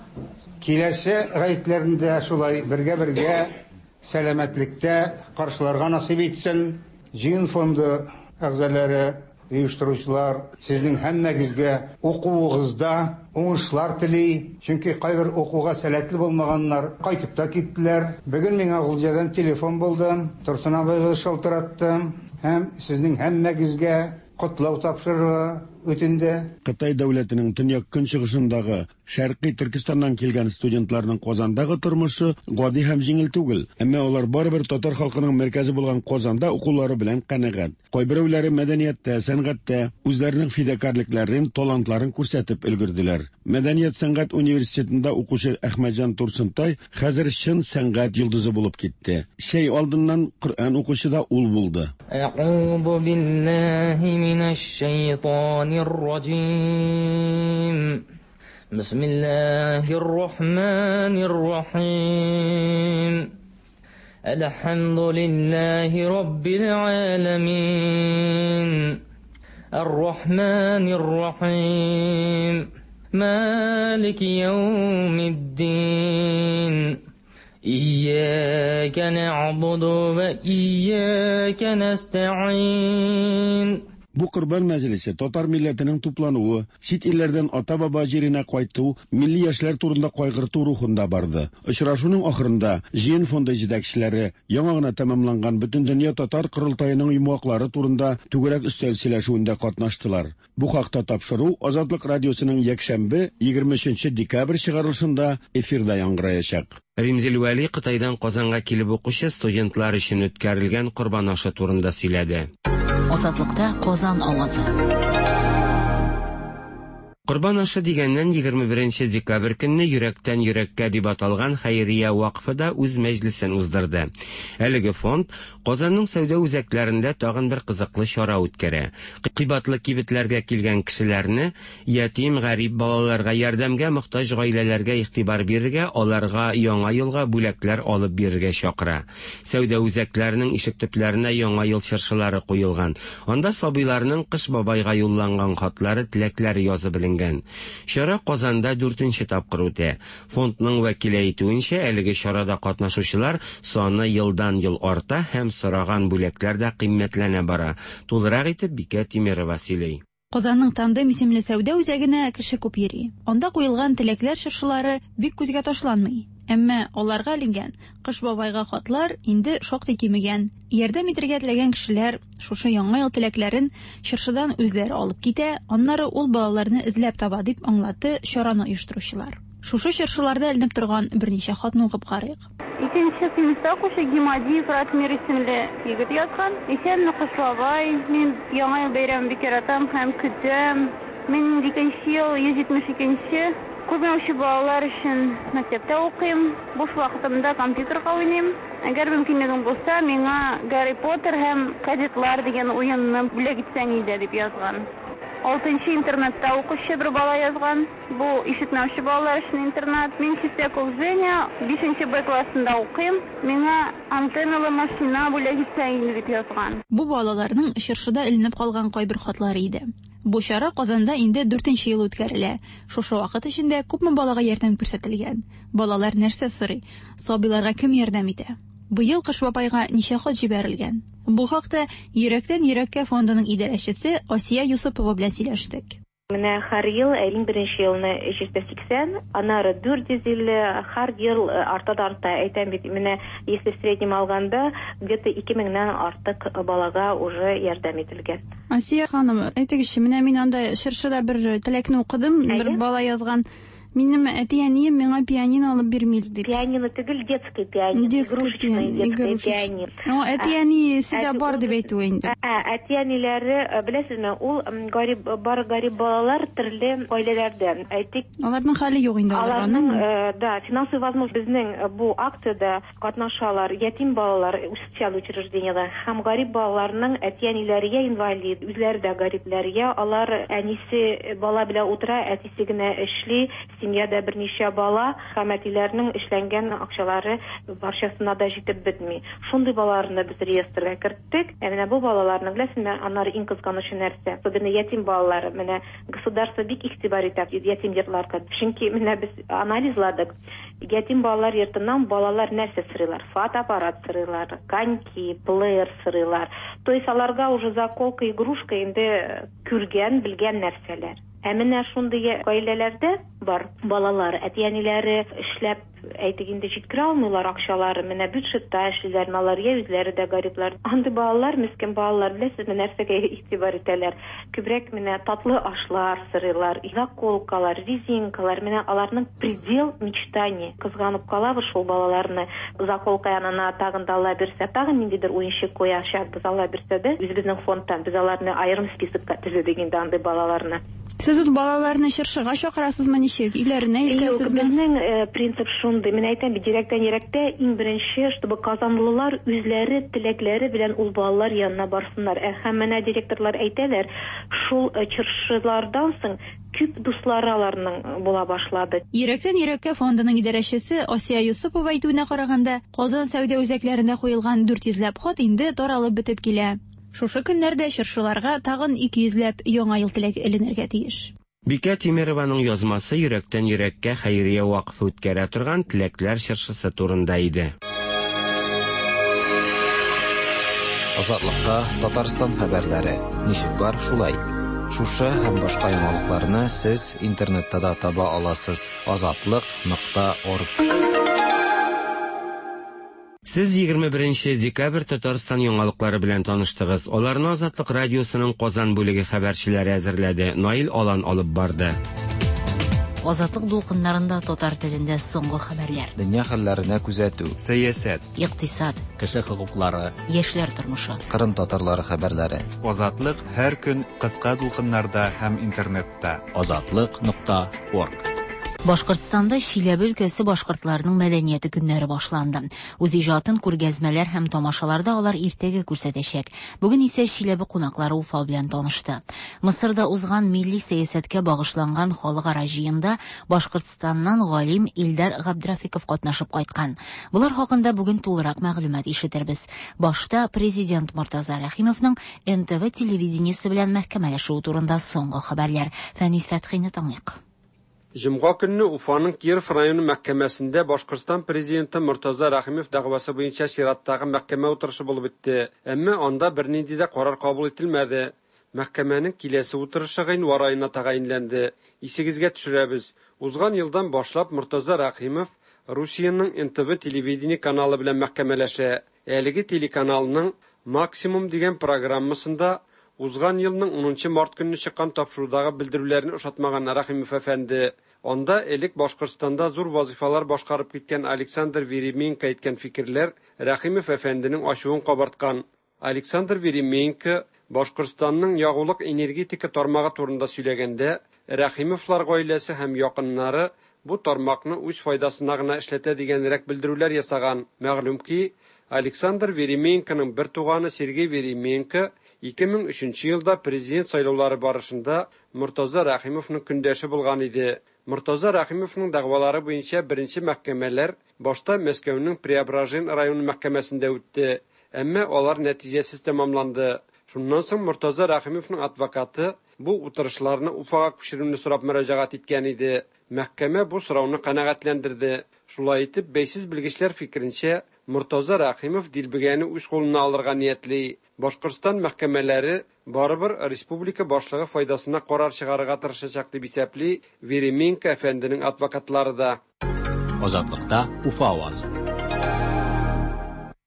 Киләсе гаетләрендә шулай бергә-бергә сәламәтлектә каршыларга насыйп итсен. Җыен фонды әгъзалары, оештыручылар, сезнең һәммәгезгә укуыгызда уңышлар тели. Чөнки кайбер укуга сәләтле булмаганнар кайтып та киттеләр. Бүген миңа Гулҗадан телефон булды, Турсын абыйгыз шалтыратты һәм сезнең һәммәгезгә котлау тапшырырга үтенде. Кытай дәүләтенең төньяк көнчыгышындагы Шәркый Төркестаннан килгән студентларның Казандагы тормышы гади һәм җиңел түгел, әмма алар барыбер татар халкының мәркәзе булган Казанда укулары белән канәгать. Кайберәүләре мәдәнияттә, сәнгатьтә үзләренең фидакарлекләрен, талантларын күрсәтеп өлгерделәр. Мәдәният сәнгать университетында укучы Әхмәтҗан Турсынтай хәзер чын сәнгать йолдызы булып китте. Чәй алдыннан Коръән укучы да ул булды. Әгъузу биллаһи минәш шайтанир раҗим. بسم الله الرحمن الرحيم. الحمد لله رب العالمين. الرحمن الرحيم. مالك يوم الدين. إياك نعبد وإياك نستعين. Бу корбан мәҗлесе татар милләтенең туплануы, чит илләрдән ата-баба җиренә кайту, милли яшьләр турында кайгырту рухында барды. Очрашуның ахырында Җыен фонды җитәкчеләре яңа гына тәмамланган Бөтендөнья татар корылтаеның йомгаклары турында түгәрәк өстәл сөйләшүендә катнаштылар. Бу хакта тапшыру Азатлык радиосының якшәмбе егерме өченче декабрь чыгарылышында эфирда яңгыраячак. Римзил Вәли Кытайдан Казанга килеп укучы студентлар өчен үткәрелгән корбан ашы турында сөйләде. Азатлыкта Казан авазы. Корбан ашы дигәннән егерме беренче декабрь көнне йөрәктән йөрәккә дип аталган хәйрия вакыфы да үз мәҗлесен уздырды. Әлеге фонд Казанның сәүдә үзәкләрендә тагын бер кызыклы чара үткәрә. Кыйбатлы кибетләргә килгән кешеләрне ятим, гарип балаларга ярдәмгә мохтаҗ гаиләләргә игътибар бирергә, аларга яңа елга бүләкләр алып бирергә чакыра. Сәүдә үзәкләренең ишек төпләренә яңа ел чыршылары куелган. Анда сабыйларның Кыш бабайга юлланган хатлары, теләкләре язып эленгән. Чара Казанда дүртенче тапкыр үтә. Фондның вәкиле әйтүенчә, әлеге чарада катнашучылар саны елдан-ел арта һәм сораган бүләкләр дә кыйммәтләнә бара. Тулырак итеп Бикә Тимирова сөйли. Казанның Тандем исемле сәүдә үзәгенә кеше күп йөри. Анда куелган теләкләр чыршылары бик күзгә ташланмый. Әмма аларга эленгән Кыш бабайга хатлар инде шактый кимегән. Ярдәм итәргә теләгән кешеләр шушы яңа ел теләкләрен чыршыдан үзләре алып китә, аннары ул балаларны эзләп таба, дип аңлатты чараны оештыручылар. Шушы чыршыларда эленеп торган берничә хатны укып карыйк. Икенче сыйныфта укучы Гимадиев Ратмир исемле егет язган. Исәнме, Кыш бабай, мин яңа ел бәйрәмен бик яратам һәм көтәм. Мин икенче ел йөз җитмеш икенче Күрмәүче балалар өчен мәктәптә укыйм. Буш вакытымда компьютерга уйныйм. Әгәр мөмкинлегем булса, миңа Гарри Поттер һәм Кадетлар дигән уенны бүләк итсәң иде дип язган. Алтынчы интернатта укучы бер бала язган. Бу ишетмәүче балалар өчен интернат. Мин Чистяков Женя, бишенче Б классында укыйм. Миңа антенналы машина бүләк итсәң иде дип язган. Бу балаларның чыршыда эленеп калган кайбер хатлары иде. Бу чара Казанда инде дүртенче ел үткәрелә. Шушы вакыт эчендә күпме балага ярдәм күрсәтелгән? Балалар нәрсә сорый? Сабыйларга кем ярдәм итә? Быел Кыш бабайга ничә хат җибәрелгән? Бу хакта Йөрәктән йөрәккә фондының идарәчесе Асия Юсупова белән сөйләштек. Менә һәр ел, иң беренче елны өч йөз сиксән, аннары дүрт йөз илле, һәр ел арта да арта. Әйтәм бит, менә если в среднем алганда, где-то ике меңнән артык балага уже ярдәм ителгән. Асия ханым, әйтегезче, менә мин анда чыршыда бер теләкне укыдым, бер бала язган. Минем әти-әнием миңа пианино алып бирми дип. Пианино түгел, детский пианино, игрушечный детский пианино. Ну, әти-әнисе дә бар дип әйтү инде. Ә, әти-әниләре, беләсезме, ул гарип, бар гарип балалар төрле гаиләләрдән. Әйтик, аларның хәле юк инде аларның. Аларның, да, финансовый возможность безнең бу акциядә катнашалар ятим балалар социаль учреждениедә һәм гарип балаларның әти-әниләре я инвалид, үзләре дә гарипләр, я алар әнисе бала белән утыра, әтисе генә эшли, семьяда берничә бала һәм әтиләрнең эшләнгән акчалары барчасына да җитеп бетми. Шундый балаларны без реестрга керттек. Ә менә бу балаларны, беләсезме, аннары иң кызганычы нәрсә? Особенно ятим балалары. Менә государство бик игътибар итә ятим йортларга. Чөнки менә без анализладык. Ятим балалар йортыннан балалар нәрсә сорыйлар? Фотоаппарат сорыйлар, коньки, плеер сорыйлар. То есть аларга уже заколка, игрушка инде күргән, белгән нәрсәләр. Ә менә шундый гаиләләрдә бар балалар, әти-әниләре эшләп, әйтик инде, җиткерә алмыйлар акчалары, менә бюджетта эшлиләр, алар я үзләре дә гариплар. Андый балалар, мескен балалар, беләсезме, нәрсәгә игътибар итәләр? Күбрәк менә татлы ашлар сорыйлар, заколкалар, резинкалар, менә аларның предел мечтаний. Кызганып калабыз шул балаларны. Заколка янына тагын да ала бирсә, тагын ниндидер уенчык куячакбыз, ала бирсә дә, үзебезнең фондтан без аларны аерым списокка төзедек инде андый балаларны. Сез ул балаларны чыршыга чакырасызмы, ничек? Өйләренә илтәсезме? Безнең принцип шундый. Мин әйтәм бит, йөрәктән йөрәктә иң беренче, чтобы казанлылар үзләре теләкләре белән ул балалар янына барсыннар. Ә һәм менә директорлар әйтәләр, шул чыршылардан соң күп дуслары аларның була башлады. Йөрәктән йөрәккә фондының идарәчесе Асия Юсупова әйтүенә караганда, Казан сәүдә үзәкләрендә куелган дүрт йөзләп хат инде таралып бетеп килә. Шушы көннәрдә чыршыларга тагын ике йөзләп яңа ел теләге эленергә тиеш. Бикә Тимированың язмасы Йөрәктән йөрәккә хәйрия вакыфы үткәрә торган теләкләр чыршысы турында иде. Азатлыкта Татарстан хәбәрләре. Ничек бар шулай. Шушы һәм башка яңалыкларны сез интернетта да таба аласыз. Азатлык нокта орг. Сез егерме беренче декабрь Татарстан яңалыклары белән таныштыгыз. Аларны Азатлык радиосының Казан бүлеге хәбәрчеләре әзерләде. Наил Алан алып барды. Азатлык дулкыннарында татар телендә соңгы хәбәрләр. Дөнья хәлләренә күзәтү. Сәясәт, икътисад, кеше хокуклары, яшьләр тормышы. Кырым татарлары хәбәрләре. Азатлык һәр көн кыска дулкыннарда һәм интернетта. Азатлык нокта орг. Башкортстанда Чиләбе өлкәсе башкортларының мәдәнияте көннәре башланды. Үз иҗатын күргәзмәләр һәм тамашаларда алар иртәгә күрсәтәчәк. Бүген исә Чиләбе кунаклары Уфа белән танышты. Мысырда узган милли сәясәткә багышланган халыкара җыенда Башкортстаннан галим Илдар Габдрафиков катнашып кайткан. Булар хакында бүген тулырак мәгълүмат ишетербез. Башта президент Мортаза Рәхимовның эн тэ вэ телевидениесе белән мәхкәмәләшүе турында соңгы хәбәрләр. Фәнис Фәтхине тыңлыйк. Җомга көнне Уфаның Киров районы мәхкәмәсендә Башкортстан президенты Мортаза Рәхимов дәгъвасы буенча чираттагы мәхкәмә утырышы булып үтте. Әмма анда бернинди дә карар кабул ителмәде. Мәхкәмәнең киләсе утырышы гыйнвар аена тәгаенләнде. Исегезгә төшерәбез. Узган елдан башлап Мортаза Рәхимов Русиянең эн тэ вэ телевидение каналы белән мәхкәмәләшә. Әлеге телеканалның Максимум дигән программасында узган елның унынчы март көнне чыккан тапшырудагы белдерүләрне ошатмаган Рәхимов әфәнде. Анда элек Башкортстанда зур вазифалар башкарып киткән Александр Веременко әйткән фикерләр Рәхимов әфәнденең ачуын кабарткан. Александр Веременко Башкортстанның ягулык энергетика тармагы турында сөйләгәндә, Рәхимовлар гаиләсе һәм якыннары бу тармакны үз файдасына гына эшләтә дигәнрәк белдерүләр ясаган. Мәгълүм ки, Александр Веремеенконың бер туганы Сергей Веремеенко ике мең өченче елда президент сайлаулары барышында Мортаза Рәхимовның көндәше булган иде. Мортаза Рәхимовның дәгъвалары буенча беренче мәхкәмәләр башта Мәскәүнең Преображен районы мәхкәмәсендә үтте, әмма алар нәтиҗәсез тәмамланды. Шуннан соң Мортаза Рәхимовның адвокаты бу утырышларны Уфага күчерүне сорап мөрәҗәгать иткән иде. Мәхкәмә бу сорауны канәгатьләндерде. Шулай итеп, бәйсез белгечләр фикеренчә, Мортаза Рәхимов дилбегәне үз кулына алырга ниятли. Башкортстан мәхкәмәләре барыбер республика башлыгы файдасына карар чыгарырга тырышачак дип исәпли Веремеенко әфәнденең адвокатлары да. Азатлыкта Уфа авазы.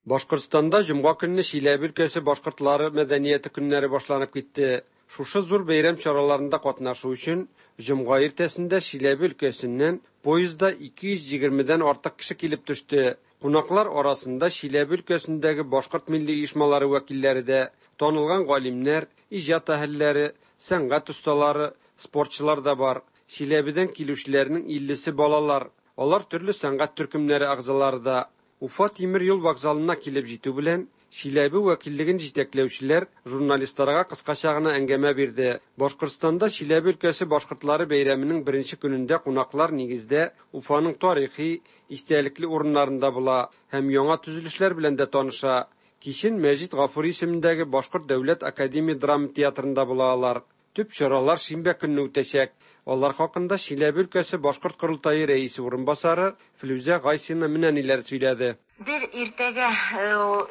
Башкортстанда җомга көнне Чиләбе өлкәсе башкортлары мәдәнияте көннәре башланып китте. Шушы зур бәйрәм чараларында катнашу өчен җомга иртәсендә Чиләбе өлкәсеннән поездда ике йөз егермедән артык кеше килеп төште. Кунаклар арасында Чиләбе өлкәсендәге башкорт милли оешмалары вәкилләре дә, танылган галимнәр, иҗат әһелләре, сәнгать осталары, спортчылар да бар. Чиләбедән килүчеләрнең иллесе балалар. Алар төрле сәнгать төркемнәре әгъзалары да. Уфа тимер юл вокзалына килеп җитү белән Чиләбе вәкиллеген җитәкләүчеләр журналистларга кыскача гына әңгәмә бирде. Башкортстанда Чиләбе өлкәсе башкортлары бәйрәменең беренче көнендә кунаклар нигездә Уфаның тарихи, истәлекле урыннарында була һәм яңа төзелешләр белән дә таныша. Кичен Мәҗит Гафури исемендәге Башкорт дәүләт академия драма театрында була алар. Төп чаралар шимбә көнне үтәчәк. Алар хакында Чиләбе өлкәсе башкорт корылтае рәисе урынбасары Флүзә Гайсина менә ниләр сөйләде. Бер иртәгә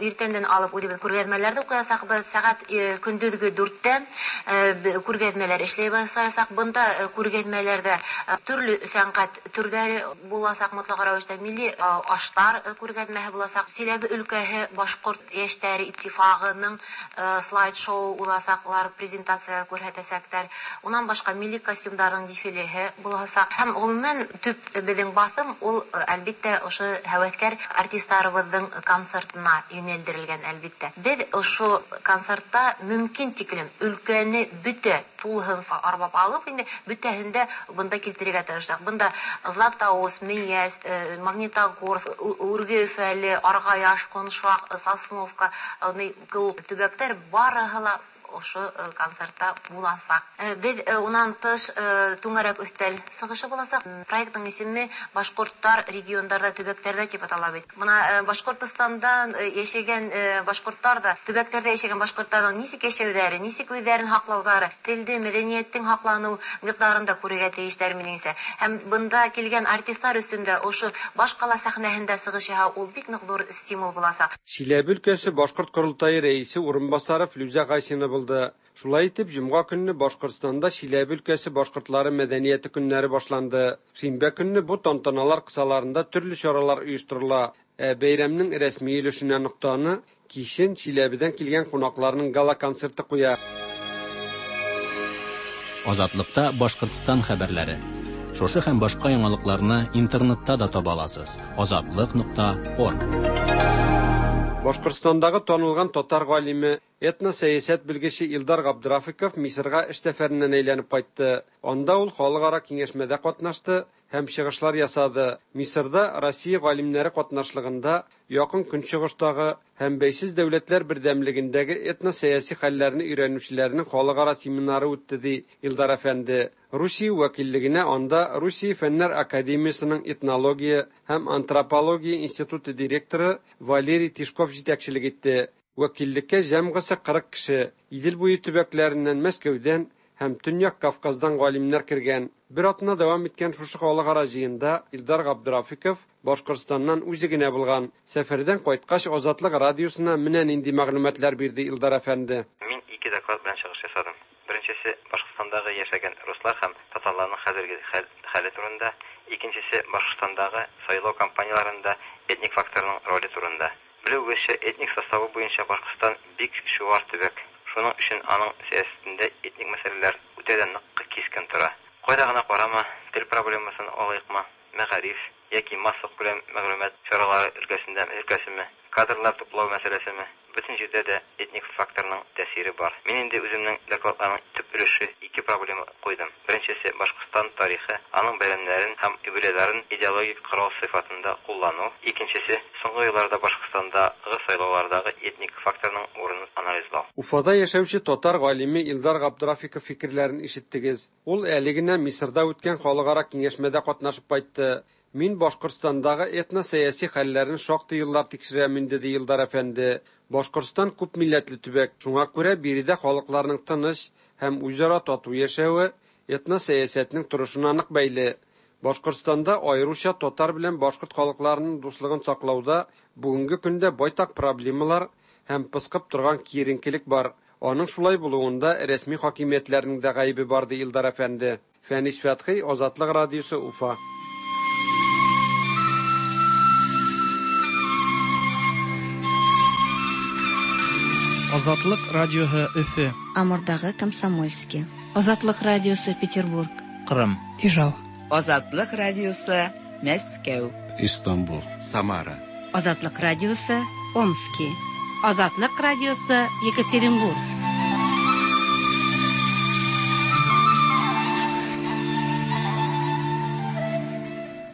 иртәндән алып үҙебеҙ күргәҙмәләрҙе уҡыясаҡбыҙ. Сәғәт көндөҙгө дүрттән күргәҙмәләр эшләй башлаясаҡ. Бында күргәҙмәләрҙә төрлө сәнғәт төрҙәре буласаҡ, мотлаҡ рәүештә милли аштар күргәҙмәһе буласаҡ. Силәбе өлкәһе башҡорт йәштәре иттифағының слайд-шоу буласаҡ, улар презентация күрһәтәсәктәр. Унан башҡа милли костюмдарҙың дефилеһе буласаҡ. Һәм ғөмүмән төп беҙҙең баҫым ул әлбиттә ошо һәүәҫкәр артистар беҙҙең концертына йүнәлдерелгән әлбиттә. Беҙ ошо концертта мөмкин тиклем өлкәне бөтә тулыһынса арбап алып, инде бөтәһен дә бында килтерергә тырыштыҡ. Бында Златоуст, Мейәс, Магнитогорск, Үрге Өфәле, Арғаяш, Ҡоншаҡ, Сосновка төбәктәр барыһы ла ошо концертта буласаҡ. Беҙ унан тыш түңәрәк өҫтәл сығышы буласаҡ. Проекттың исеме Башҡорттар региондарҙа, төбәктәрҙә тип атала бит. Бына Башҡортостандан йәшәгән башҡорттар ҙа, төбәктәрҙә йәшәгән башҡорттарҙың нисек йәшәүҙәре, нисек үҙҙәрен һаҡлауҙары, телде, мәҙәниәттең һаҡланыу миҡдарын да күрергә тейештәр минеңсә. Һәм бында килгән артистлар өҫтөндә ошо баш ҡала сәхнәһендә сығыш яһау ул бик ныҡ ҙур стимул буласаҡ. Силәбе өлкәсе башҡорт ҡоролтайы рәисе урынбаҫары Флүзә Гайсина булды. Шулай итеп, җомга көнне Башкортстанда Чиләбе өлкәсе башкортлары мәдәнияте көннәре башланды. Шимбә көнне бу тантаналар кысаларында төрле чаралар оештырыла. Ә бәйрәмнең рәсми өлешенә ноктаны кичен Чиләбедән килгән кунакларның гала-концерты куя. Азатлыкта Башкортстан хәбәрләре. Шушы һәм башка яңалыкларны интернетта да таба аласыз. Азатлык нокта орг. Башкортстандагы танылган татар галиме, этносәясәт белгече Илдар Габдрафиков Мисырга эш сәфәреннән әйләнеп кайтты. Анда ул халыкара киңәшмәдә катнашты һәм чыгышлар ясады. Мисырда Россия галимнәре катнашлыгында Якын Көнчыгыштагы һәм бәйсез дәүләтләр бердәмлегендәге этносәяси хәлләрне өйрәнүчеләрнең халыкара семинары үтте, ди Илдар әфәнде. Русия вәкиллегенә анда Русия Фәннәр академиясының этнология һәм антропология институты директоры Валерий Тишков җитәкчелек итте. Вәкиллеккә җәмгысе кырык кеше, Идел буе төбәкләреннән, Мәскәүдән һәм Төньяк Кавказдан галимнәр кергән. Бер атна дәвам иткән шушы халыкара җыенда Илдар Габдрафиков Башкортстаннан үзе генә булган. Сәфәрдән кайткач Азатлык радиосына менә нинди мәгълүматлар бирде Илдар әфәнде. Мин ике доклад белән чыгыш ясадым. Беренчесе Башкортстандагы яшәгән руслар һәм татарларның хәзерге хәле турында, икенчесе Башкортстандагы сайлау кампанияләрендә этник факторның роле турында. Белүегезчә, этник составы буенча Башкортстан бик чуар төбәк. Шуның өчен аның сәясәтендә этник мәсьәләләр үтә дә нык кискен тора. Кайда гына карама, тел проблемасын алыйкмы, мәгариф яки массакүләм мәгълүмат чаралары өлкәсендә өлкәсеме, кадрлар туплау мәсьәләсеме, бөтен җирдә дә этник факторның тәэсире бар. Мин инде үземнең докладларның төп Төп өлеше ике проблема куйдым. Беренчесе Башкортстан тарихы, аның бәйрәмнәрен һәм юбилейларын идеологик корал сыйфатында куллану. Икенчесе соңгы елларда Башкортстандагы сайлаулардагы этник факторның урынын анализлау. Уфада яшәүче татар галиме Илдар Габдрафиков фикерләрен ишеттегез. Ул әле генә Мисырда үткән халыкара киңәшмәдә катнашып кайтты. Мин Башкортстандагы этно-сәяси хәлләрен шактый еллар тикшерәм инде, ди Илдар әфәнде. Башкортстан күп милләтле төбәк, шуңа күрә биредә халыкларның тыныч һәм үзара тату яшәве этно-сәясәтнең торышына нык бәйле. Башкортстанда аеруча татар белән башкорт халыкларының дуслыгын саклауда бүгенге көндә байтак проблемалар һәм пыскып торган киеренкелек бар. Аның шулай булуында рәсми хакимиятләрнең дә гаебе бар, ди Илдар әфәнде. Фәнис Фәтхи, Азатлык радиосы, Уфа. Азатлык радиоһы Өфө. Амурдагы Комсомольский. Азатлык радиосы Петербург. Кырым. Ижау. Азатлык радиосы Мәскәү. Истанбул. Самара. Азатлык радиосы Омски. Азатлык радиосы Екатеринбург.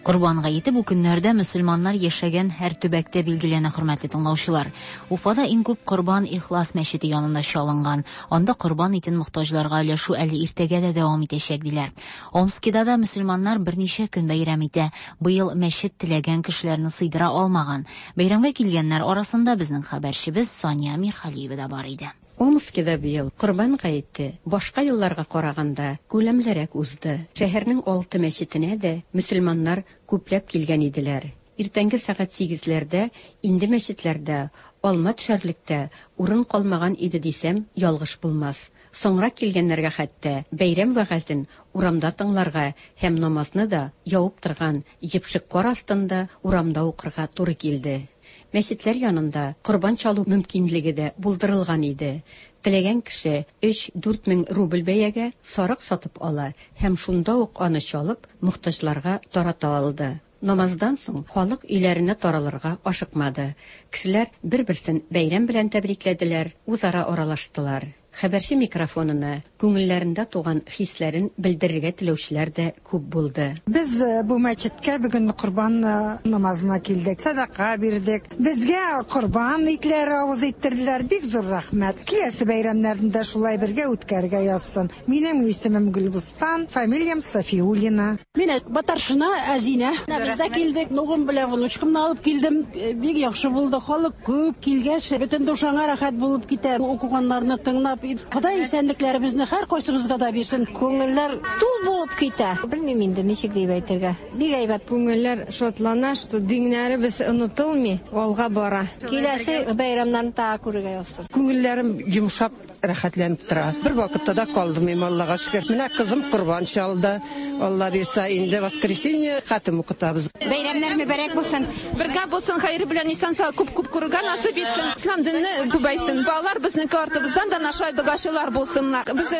Корбан гаете бу көннәрдә мөселманнар яшәгән һәр төбәктә билгеләнә, хөрмәтле тыңлаучылар. Уфада иң күп корбан Ихлас мәчете янында чалынган. Анда корбан итен мохтаҗларга өләшү әле иртәгә дә дәвам итәчәк, диләр. Омскида да мөселманнар берничә көн бәйрәм итә. Быел мәчет теләгән кешеләрне сыйдыра алмаган. Бәйрәмгә килгәннәр арасында безнең хәбәрчебез Сания Мирхалиева да бар иде. Омскида быел Корбан гаете башка елларга караганда күләмлерәк узды. Шәһәрнең алты мәчетенә дә мөселманнар күпләп килгән иделәр. Иртәнге сәгать сигезләрдә инде мәчетләрдә алма төшәрлектә урын калмаган иде дисәм, ялгыш булмас. Соңрак килгәннәргә хәтта бәйрәм вәгазен урамда тыңларга һәм намазны да явып торган җепшек кар астында урамда укырга туры килде. Мәчетләр янында корбан чалу мөмкинлеге дә булдырылган иде. Теләгән кеше өч-дүрт мең рубль бәягә сарык сатып ала һәм шунда ук аны чалып мохтаҗларга тарата алды. Намаздан соң халык өйләренә таралырга ашыкмады. Кешеләр бер-берсен бәйрәм белән тәбрикләделәр, үзара аралаштылар. Хәбәрче микрофонына күңелләрендә туган хисләрен белдерергә теләүчеләр дә күп булды. Без бу мәчеткә бүген корбан намазына килдек, садака бирдек. Безгә корбан итләре авыз иттерделәр, бик зур рәхмәт. Киләсе бәйрәмнәрне дә шулай бергә үткәрергә язсын. Минем исемем Гөлбустан, фамилиям Софиуллина. Мин Батаршина Азина. Без дә килдек, нугым белән внучкамны алып килдем. Бик яхшы булды, халык күп килгәч, бөтен душаңа рәхәт булып китә. Укыганнарны тыңлап, Ходай исәнлекләребезне һәр кайсыбызга да бирсен. Күңелләр тул булып китә. Белмим инде ничек дип әйтергә. Бик әйбәт. Күңелләр шатлана, что диннәребез онытылмый, алга бара. Киләсе бәйрәмнәрне тагы күрергә язсын. Күңелләрем йомшап, рәхәтләнеп тора. Бер вакытта да калдым, Аллага шөкер. Менә кызым корбан чалды. Алла бирсә, инде воскресенье хатым укытабыз. Бәйрәмнәр мөбарәк булсын. Бергә булсын, хәер белән исән-сау күп-күп күрергә насыйп итсен. Ислам дине күбәйсен. Балалар безнеке артыбыздан да наша догашылар булсыннар. Без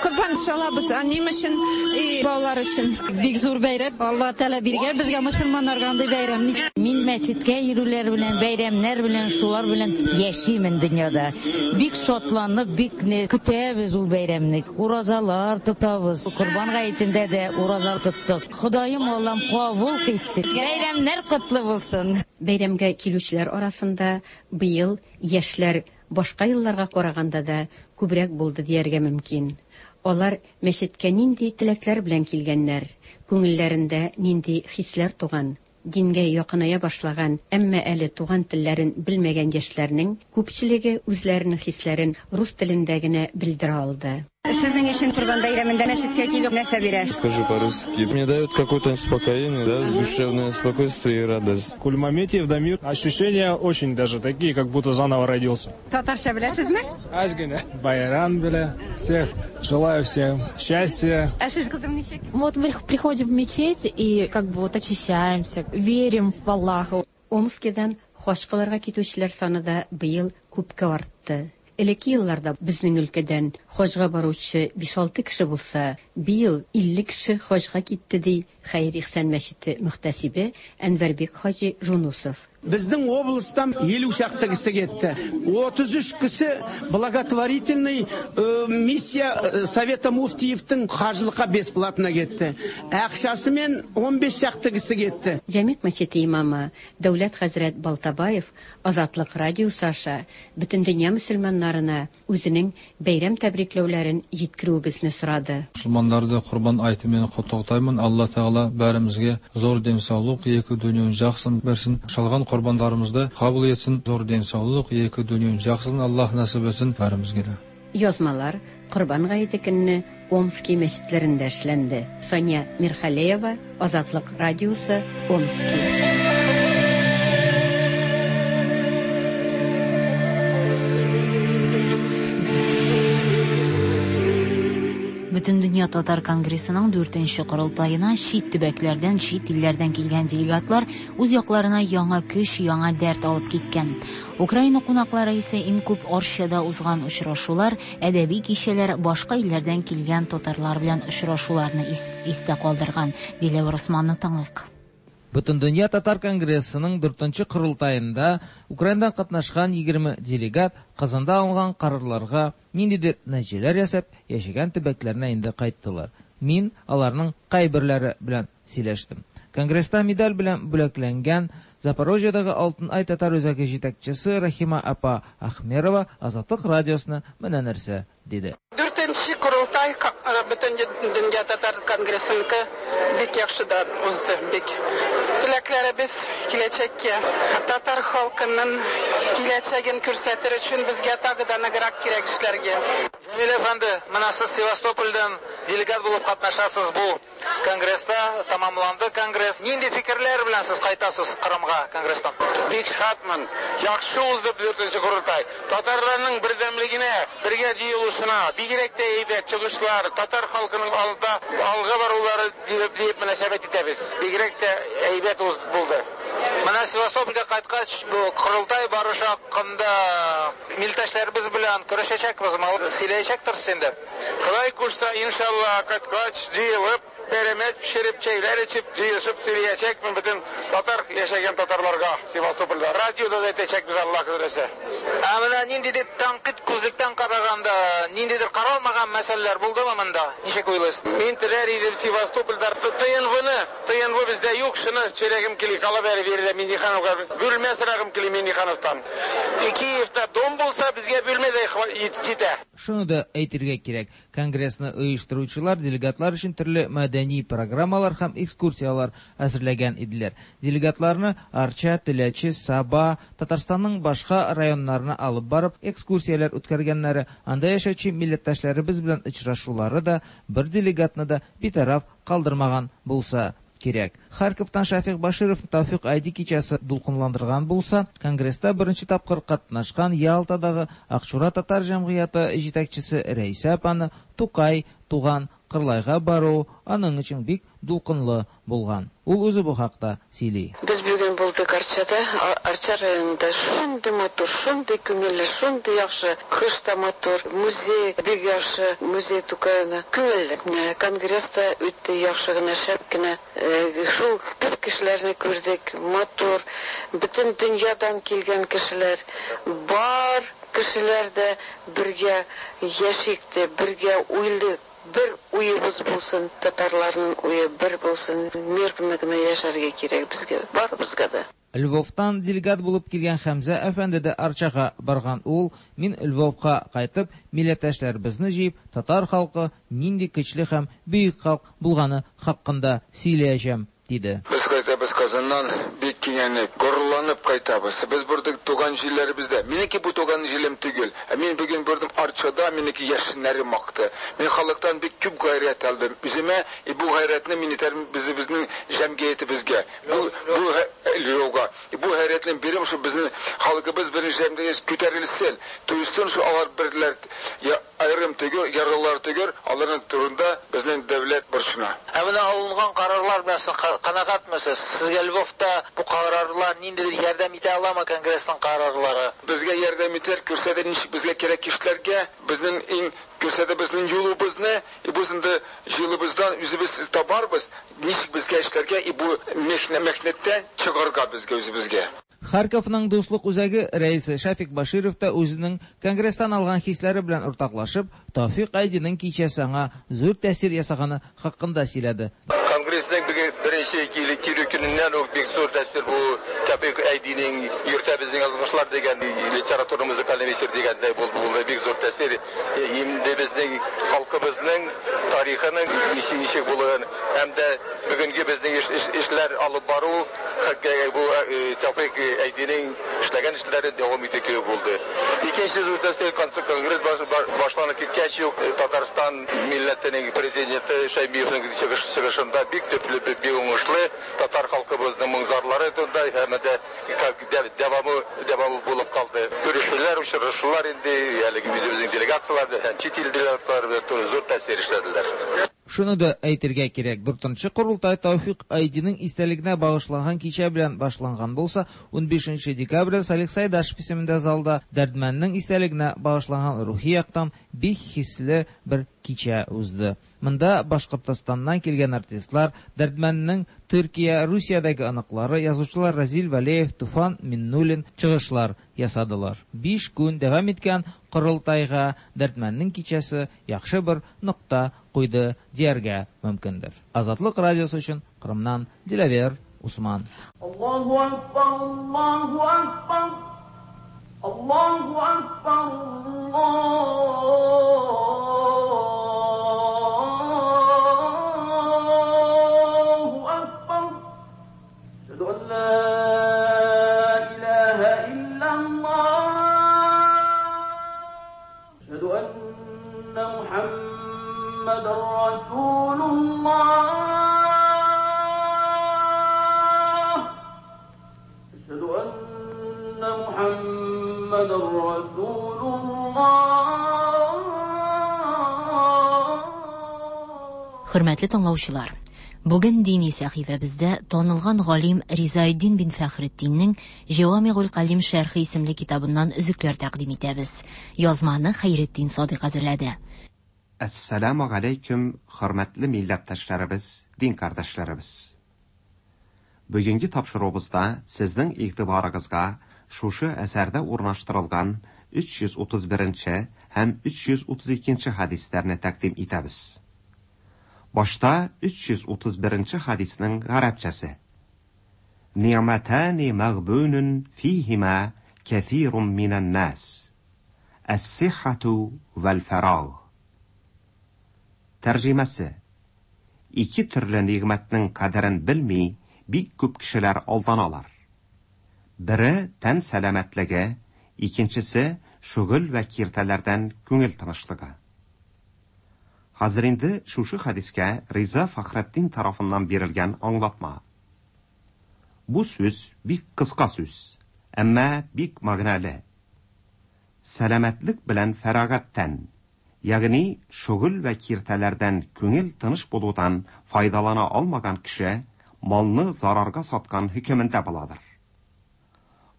корбан чалабыз әнием өчен, балалар өчен. Бик зур бәйрәм. Алла Тәгалә биргән безгә мөселманнарга андый бәйрәмне. Мин мәчеткә йөрүләр белән, бәйрәмнәр белән, шулар белән яшимен дөньяда. Бик шатланып, бик көтәбез ул бәйрәмне. Уразалар тотабыз. Корбан гаетендә дә ураза тоттык. Ходаем Аллам кабул итсен. Бәйрәмнәр котлы булсын. Бәйрәмгә килүчеләр арасында быел яшьләр башка елларга караганда да күбрәк булды дияргә мөмкин. Алар мәчеткә нинди теләкләр белән килгәннәр, күңелләрендә нинди хисләр туган, дингә якыная башлаган, әмма әле туган телләрен белмәгән яшьләрнең күпчелеге үзләренең хисләрен рус телендә генә белдерә алды. Сезнең өчен Корбан бәйрәмендә мәчеткә килү нәрсә бирә? Скажу по-русски. Мне дает какое-то успокоение, да, душевное спокойствие и радость. Кульмаметьев Дамир. Ощущения очень даже такие, как будто заново родился. Татарча беләсезме? Аз генә. Байрам белә. Всех желаю всем счастья. Ә сез, кызым, ничек? Вот мы приходим в мечеть и как бы вот очищаемся, верим в Аллаха. Омскидан хаҗ кылырга китүчеләр саны да быел күпкә артты. Элекке елларда безнең өлкәдән хаҗга баручы биш-алты кеше булса, быел илле кеше хаҗга китте, ди Хәер-Ихсан мәчете мөхтәсибе Әнвәрбек хаҗи Жунусов. Безнең областан елу шақты кісі кетті. отыз үш кісі благотворительный миссия Совета муфтиевтің қажылыққа бесплатно кетті. Ақшасымен он бес шақты кісі кетті. Җәмигъ мәчете имамы Дәүләт хәзрәт Балтабаев Азатлык радиосы аша бөтен дөнья мөселманнарына үзенең бәйрәм тәбрикләүләрен җиткерүебезне сорады. Мұсылмандарды Құрбан айтымен құттықтаймын. Алла Тағала бәрімізге зор денсаулық, екі дүниенің жақсысын берсін. Шалған құрбандарымызды қабыл етсін, зор денсаулық, екі дүниенің жақсысын Аллах нәсіп етсін бәрімізге де. Язмалар Корбан гаете көнне Омски мәчетләрендә эшләнде. Сания Мирхалеева, Азатлык радиосы, Омски. Бөтендөнья татар конгрессының дүртенче корылтаена чит төбәкләрдән, чит илләрдән килгән делегатлар үз якларына яңа көч, яңа дәрт алып киткән. Украина кунаклары исә иң күп Арчада узган очрашулар, әдәби кичәләр, башка илләрдән килгән татарлар белән очрашуларны истә калдырган. Диләвер Усманны тыңлыйк. Бөтендөнья татар конгрессының дүртенче корылтаенда Украинадан катнашкан егерме делегат Казанда алынган карарларга ниндидер нәтиҗәләр ясап, яшәгән төбәкләренә инде кайттылар. Мин аларның кайберләре белән сөйләштем. Конгресста медаль белән бүләкләнгән Запорожьедагы Алтын Ай татар үзәге җитәкчесе Рахима апа Ахмерова Азатлык радиосына менә нәрсә диде. Дүртенче корылтай Бөтендөнья татар конгрессыныкы бик яхшыдан узды, бик. Теләкләребез киләчәккә, татар халкының киләчәген күрсәтер өчен безгә тагы да ныграк кирәк эшләргә. Җәмил әфәнде, менә сез Севастопольдән делегат булып катнашасыз бу конгресста, тамамланды конгресс. Нинди фикерләр белән сез кайтасыз Кырымга конгресстан? Бик шатмын. Яхшы узды дүртенче корылтай. Татарларның бердәмлегенә, бергә җыелышына, бигрәк тә әйбәт чыгышлар, татар халкының алда алга барулары дип мөнәсәбәт итәбез. Бигрәк тә әйбәт булды. Менә Севастопольгә кайткач, бу корылтай барышы хакында милләттәшләребез белән көрәшәчәкбезме? Сөйләячәктерсез инде. Ходай кушса, иншалла, кайткач җыелып, пәрәмәч пешереп, чәйләр эчеп, җыелышып сөйләячәкмен бөтен татар яшәгән татарларга Севастопольдә. Радиода да әйтәчәкбез, Аллаһ теләсә. Ә менә ниндидер тәнкыйть күзлектән караганда, ниндидер каралмаган мәсьәләләр булдымы монда? Ничек уйлыйсыз? Мин теләр идем Севастопольдә ТНВны, ТНВ бездә юк, шуны сөйләгем кили, кала бәре бирде Миннихановга. Бүлмә сорагым кили Миннихановтан. Киевта дом булса, безгә бүлмә дә җитә. Шуны да әйтергә кирәк, конгрессны оештыручылар делегатлар өчен төрле мәдәни программалар һәм экскурсияләр әзерләгән иделәр. Делегатларны Арча, Теләче, Саба, Татарстанның башка районнарына алып барып экскурсияләр үткәргәннәре, анда яшәүче милләттәшләребез белән очрашулары да бер делегатны да битараф калдырмаган булса кирәк. Харьковтан Шафик Баширов Тәүфик Айди кичәсе дулкынландырган булса, конгресста беренче тапкыр катнашкан Ялтадагы Акчура татар җәмгыяте җитәкчесе Рәйсә апаны Тукай туган Кырлайга бару аның өчен бик дулкынлы булган. Ул үзе бу хакта сөйли. Без бүген булдык Арчада, Арча районында шундый матур, шундый күңелле, шундый яхшы, кыш та матур, музей бик яхшы, музей Тукайны. Күңелле. Конгресс та үтте яхшы гына, шәп кенә. Шул күп кешеләрне күрдек, матур, бөтен дөньядан килгән кешеләр, бар кешеләр дә бергә яшик тә, бергә уйлыйк. Бер уебыз булсын, татарларның уе бер булсын, мирно гына яшәргә кирәк безгә, барыбызга да. Львовтан делегат булып килгән Хәмзә әфәнде дә Арчага барган. Ул, мин Львовка кайтып, милләттәшләребезне җыеп, татар халкы нинди көчле һәм бөек халык булганы хакында сөйләячәм, диде. Без кайтабыз Казаннан бик киңәнеп, горурланып кайтабыз. Без бурдык туган җирләребездә. Минеке бу туган җирем түгел. Ә мин бүген бурдым Арчада, минеке яшеннәрем акты. Мин халыктан бик күп гайрәт алдым. Үземә и бу гайрәтне мин итәрмен безнең җәмгыятебезгә. Бу бу Львовга. Бу гайрәтне бирем шу безнең халкыбыз беренче җәмгыять күтәрелсен. Туйсын шу алар берләр я аерым түгел, яралар түгел, аларның турында безнең дәүләт борчына. Ә менә алынган карарлар белән сез канәгатьмесез? Сезгә Львовта бу карарлар ниндидер ярдәм итә аламы конгрессның карарлары? Безгә ярдәм итәр, күрсәтә ничек безгә кирәк эшләргә, безнең иң күрсәтә безнең юлыбызны, и без инде юлыбыздан үзебез табарбыз, ничек безгә эшләргә, и бу михнәттән чыгарга безгә үзебезгә. Харьковның дуслык үзәге рәисе Шәфик Баширов та үзенең конгресстан алган хисләре белән уртаклашып, Тәүфик Айдиның кичәсе аңа зур тәэсир ясаганы хакында сөйләде. Конгрессның беренче килү көненнән үк бик зур тәэсир бу Тәүфик Айдиның йөртә безнең язмышлар дигән литература музыкаль әсәр дигәндәй булды, бик зур тәэсир. Инде безнең халкыбызның тарихының ничек булуын һәм дә бүгенге безнең эшләр алып бару бу Тәүфик Айдиның эшләгән эшләре дәвам итү кебек булды. Икенче зур тәэсир конгресс башланып киткәч үк Татарстан милләтенең президенты Шәймиевның чыгышында бик төпле, бик уңышлы татар халкыбызның моң-зарлары турында һәм дә дәвамы дәвамы булып калды. Күрешүләр, очрашулар инде әлеге үзебезнең делегацияләр һәм чит ил делегацияләре белән зур тәэсир эшләделәр. Шуны да әйтергә кирәк, дүртенче корылтай Тәүфик Айдиның истәлегенә багышланган кичә белән башланган булса, унбишенче декабрьдә Салих Сайдашев исемендә залда Дәрдмәннең истәлегенә багышланган рухи яктан бик хисле бер кичә узды. Монда Башкортостаннан килгән артистлар, Дәрдмәннең Төркия, Русиядәге оныклары, язучылар Разил Вәлиев, Туфан Миннуллин чыгышлар ясадылар. Биш көн дәвам иткән корылтайга Дәрдмәннең кичәсе яхшы бер нокта куйды дияргә мөмкиндер. Азатлык радиосы өчен Кырымнан Диләвер Усман. Аллаһу акбар, Аллаһу акбар, Аллаһу акбар, Аллаһу акбар. Әшһәду ан ла илаһа иллаллаһ. Әшһәду анна Мухаммадан расулуллаһ. Әшһәду анна Мухаммадан расулуллаһ. Хөрмәтле тыңлаучылар, бүген дини сәхифәбездә танылган галим Ризаэддин бин Фәхретдиннең Җавамигул Калим шәрхе исемле китабыннан өзекләр тәкъдим итәбез. Язманы Хәйретдин Садыйк әзерләде. Әссәламу алейкум, хөрмәтле милләттәшләребез, дин кардәшләребез. Бүгенге тапшыруыбызда сезнең игътибарыгызга шушы әсәрдә урнаштырылган өч йөз утыз беренче һәм өч йөз утыз икенче хәдисләрне тәкъдим итәбез. Башта өч йөз утыз беренче хәдиснең гарәпчәсе. Ни'матани мәгъбунун фиһима кәсирун минән нас. Әс-сиххату вәл-фараг. Тәрҗемәсе: ике төрле нигъмәтнең кадерен белми бик күп кешеләр алданалар. Бере тән сәламәтлеге, икенчесе шөгыль вә киртәләрдән күңел тынычлыгы. Хәзер инде шушы хәдискә Риза Фәхретдин тарафыннан бирелгән аңлатма. Бу сүз бик кыска сүз, әмма бик мәгънәле. Сәламәтлек белән фәрагаттан, ягъни шөгыль вә киртәләрдән күңел тыныч булудан файдалана алмаган кеше малны зарарга саткан хөкемендә буладыр.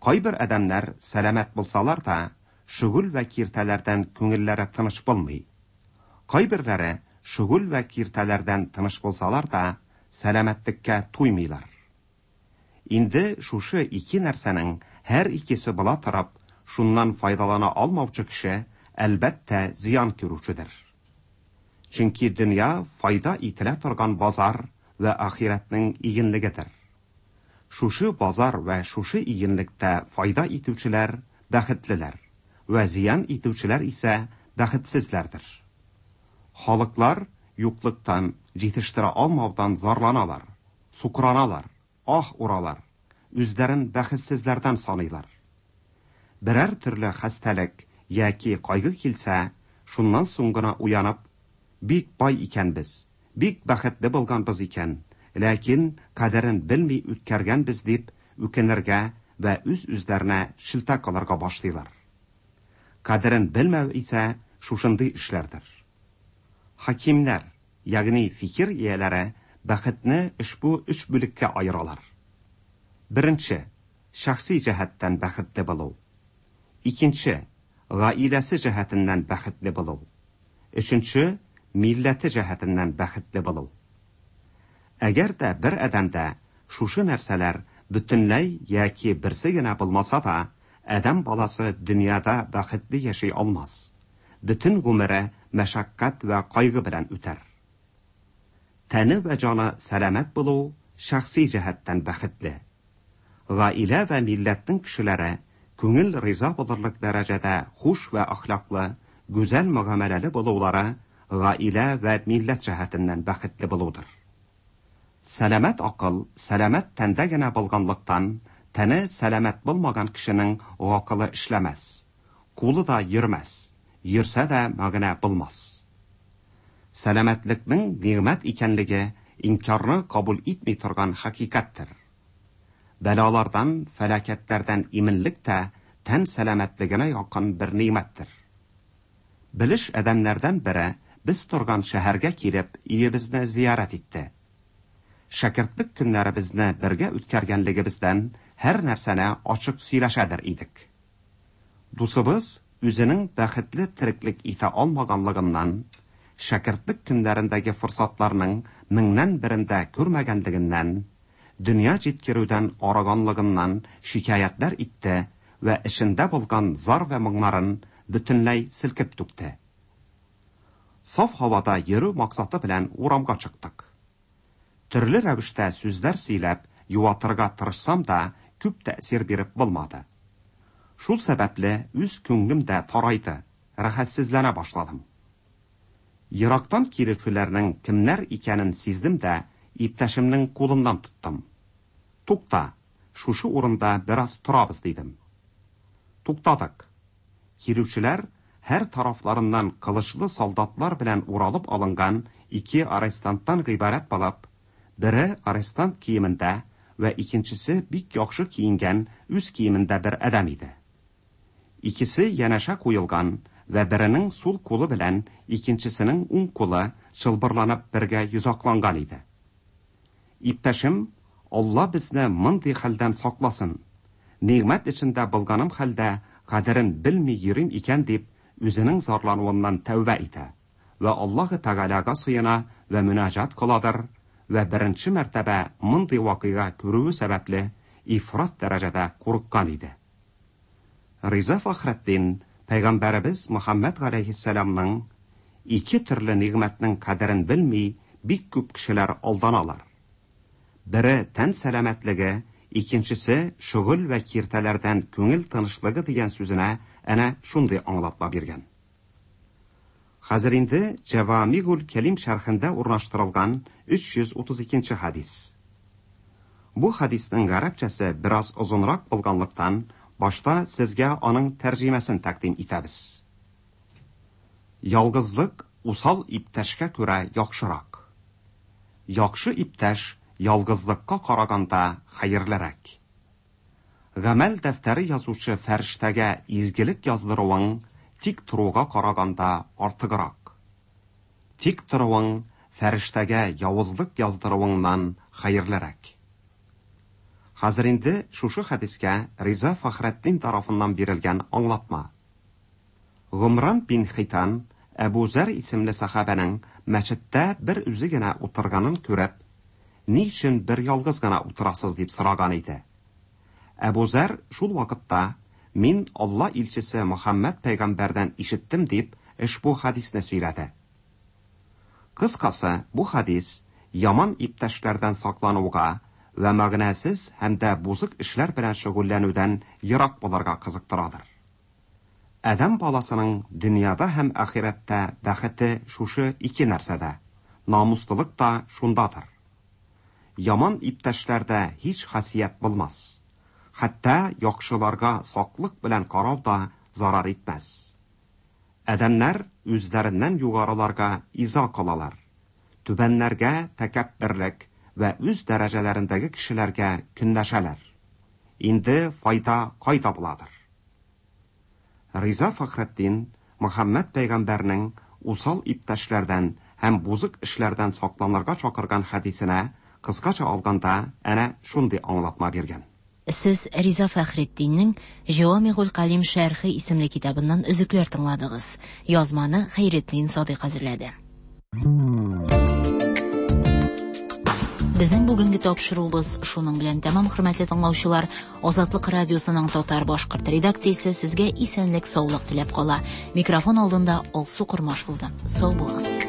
Кайбер адәмнәр сәламәт булсалар да, шөгыль вә киртәләрдән күңелләре тыныч булмый. Кайберләре шөгыль вә киртәләрдән тыныч булсалар да, сәламәтлеккә туймыйлар. Инде шушы ике нәрсәнең һәр икесе була торып, шуннан файдалана алмаучы кеше әлбәттә зыян күрүчедер. Чөнки дөнья файда ителә торган базар вә ахирәтнең игенлегедер. Шушы базар вә шушы игенлектә файда итүчеләр бәхетлеләр, вә зыян итүчеләр исә бәхетсезләрдер. Халыклар юклыктан, җитештерә алмаудан зарланалар, сукраналар, ах уралар, үзләрен бәхетсезләрдән саныйлар. Берәр төрле хәстәлек яки кайгы килсә, шуннан соң гына уянып, бик бай икәнбез, бик бәхетле булганбыз икән, ләкин кадерен белми үткәргәнбез дип үкенергә вә үз-үзләренә шелтә кылырга башлыйлар. Кадерен белмәү исә шушындый эшләрдер. Хакимнәр, ягъни фикер ияләре, бәхетне ошбу өч бүлеккә аералар. Беренче, шәхси җәһәттән бәхетле булу. Икенче, гаиләсе җәһәтеннән бәхетле булу. Өченче, милләте җәһәтеннән бәхетле булу. Әгәр дә бер адәмдә шушы нәрсәләр бөтенләй яки берсе генә булмаса да, адәм баласы дөньяда бәхетле яши алмас. Бөтен гомере мәшәкать вә кайгы белән үтәр. Тәне вә җаны сәламәт булу шәхси җәһәттән бәхетле. Гаилә вә милләтнең кешеләре күңел риза булырлык дәрәҗәдә хуш вә әхлаклы, гүзәл мөгамәләле булулары гаилә вә милләт җәһәтеннән бәхетле булудыр. Сәламәт акыл сәламәт тәндә генә булганлыктан, тәне сәламәт булмаган кешенең акылы эшләмәс, кулы да йөрмәс, йөрсә дә мәгънә булмас. Сәламәтлекнең нигъмәт икәнлеге инкарны кабул итми торган хакыйкатьтер. Бәлалардан, фәлакәтләрдән иминлек тә тән сәламәтлегенә якын бер нигъмәттер. Белеш адәмнәрдән бере без торган шәһәргә килеп, өебезне зиярәт итте. Шәкертлек көннәребезне бергә үткәргәнлегебездән һәр нәрсәне ачык сөйләшәдер идек. Дусыбыз үзенең бәхетле тереклек итә алмаганлыгыннан, шәкертлек көннәрендәге форсатларның меңнән берендә күрмәгәнлегеннән, дөнья җиткерүдән арыганлыгыннан шикаятьләр итте вә эшендә булган зар вә моңнарын бөтенләй селкеп түкте. Саф һавада йөрү максаты белән урамга чыктык. Төрле рәвештә сүзләр сөйләп, юатырга тырышсам да, күп тәэсир биреп булмады. Шул сәбәпле үз күңелем дә тарайды, рәхәтсезләнә башладым. Ерактан килүчеләрнең кемнәр икәнен сиздем дә, иптәшемнең кулыннан тоттым. Тукта, шушы урында бераз торабыз, дидем. Туктадык. Килүчеләр һәр тарафларыннан кылычлы солдатлар белән уралып алынган ике арестанттан гыйбарәт булып, бере арестант киемендә вә икенчесе бик яхшы киенгән үз киемендә бер адәм иде. Икесе янәшә куелган вә беренең сул кулы белән икенчесенең уң кулы чылбырланып бергә йозакланган иде. Иптәшем, Алла безне мондый хәлдән сакласын. Нигъмәт эчендә булганым хәлдә кадерен белми йөрим икән дип, үзенең зарлануыннан тәүбә итә вә Аллаһы Тәгаләгә сыена вә мөнәҗәт кыладыр вә беренче мәртәбә мондый вакыйга күрүе сәбәпле ифрат дәрәҗәдә курыккан иде. Риза Фәхретдин Пәйгамбәребез Мөхәммәд галәйһиссәламның ике төрле нигъмәтнең кадерен белми бик күп кешеләр алданалар. Бере тән сәламәтлеге, икенчесе шөгыль вә киртәләрдән күңел тынычлыгы дигән сүзенә әнә шундый аңлатма биргән. Хәзер инде Җәвамигул Кәлим шәрхендә урнаштырылган өч йөз утыз икенче хадис. Бу хадисның гарәпчәсе бераз озынрак булганлыктан, башта сезгә аның тәрҗемәсен тәкъдим итәбез. Ялгызлык усал иптәшкә күрә яхшырак. Яхшы иптәш ялгызлыкка караганда хәерлерәк. Гамәл дәфтәре язучы фәрештәгә изгелек яздыруың тик торуга караганда артыграк. Тик торуың фәрештәгә явызлык яздыруыңнан хәерлерәк. Хәзер инде шушы хәдискә Риза Фәхретдин тарафыннан бирелгән аңлатма. Гомран бин Хитан Әбу Зәр исемле сахабәнең мәчеттә бер үзе генә утырганын күреп, ни өчен бер ялгыз гына утырасыз дип сораган иде. Әбу Зәр шул вакытта мин Алла илчесе Мөхәммәд пәйгамбәрдән ишеттем дип ошбу хәдисне сөйләде. Кыскасы, бу хәдис яман иптәшләрдән саклануга вә мәгънәсез һәм дә бузык эшләр белән шөгыльләнүдән ерак булырга кызыктырадыр. Адәм баласының дөньяда һәм ахирәттә бәхете шушы ике нәрсәдә, намуслылык та шундадыр. Яман иптәшләрдә һич хасият булмас. Хәтта яхшыларга саклык белән карау да зарар итмәс. Адәмнәр үзләреннән югарыларга иза кылалар. Түбәннәргә тәкәбберлек вә үз дәрәҗәләрендәге кешеләргә көнләшәләр. Инде файда кайда буладыр? Риза Фәхретдин Мөхәммәд пәйгамбәрнең усал иптәшләрдән һәм бузык эшләрдән сакланырга чакырган хәдисенә кыскача алганда әнә шундый аңлатма биргән. Сез Риза Фәхретдиннең Җавамигуль Калим шәрхе исемле китабыннан өзекләр тыңладыгыз. Язманы Хәйретдин Садыйк әзерләде. Безнең бүгенге тапшыруыбыз шуның белән тәмам, хөрмәтле тыңлаучылар. Азатлык радиосының татар башкорт редакциясе сезгә исәнлек, саулык теләп кала. Микрофон алдында Алсу Кормаш булды. Сау булыгыз.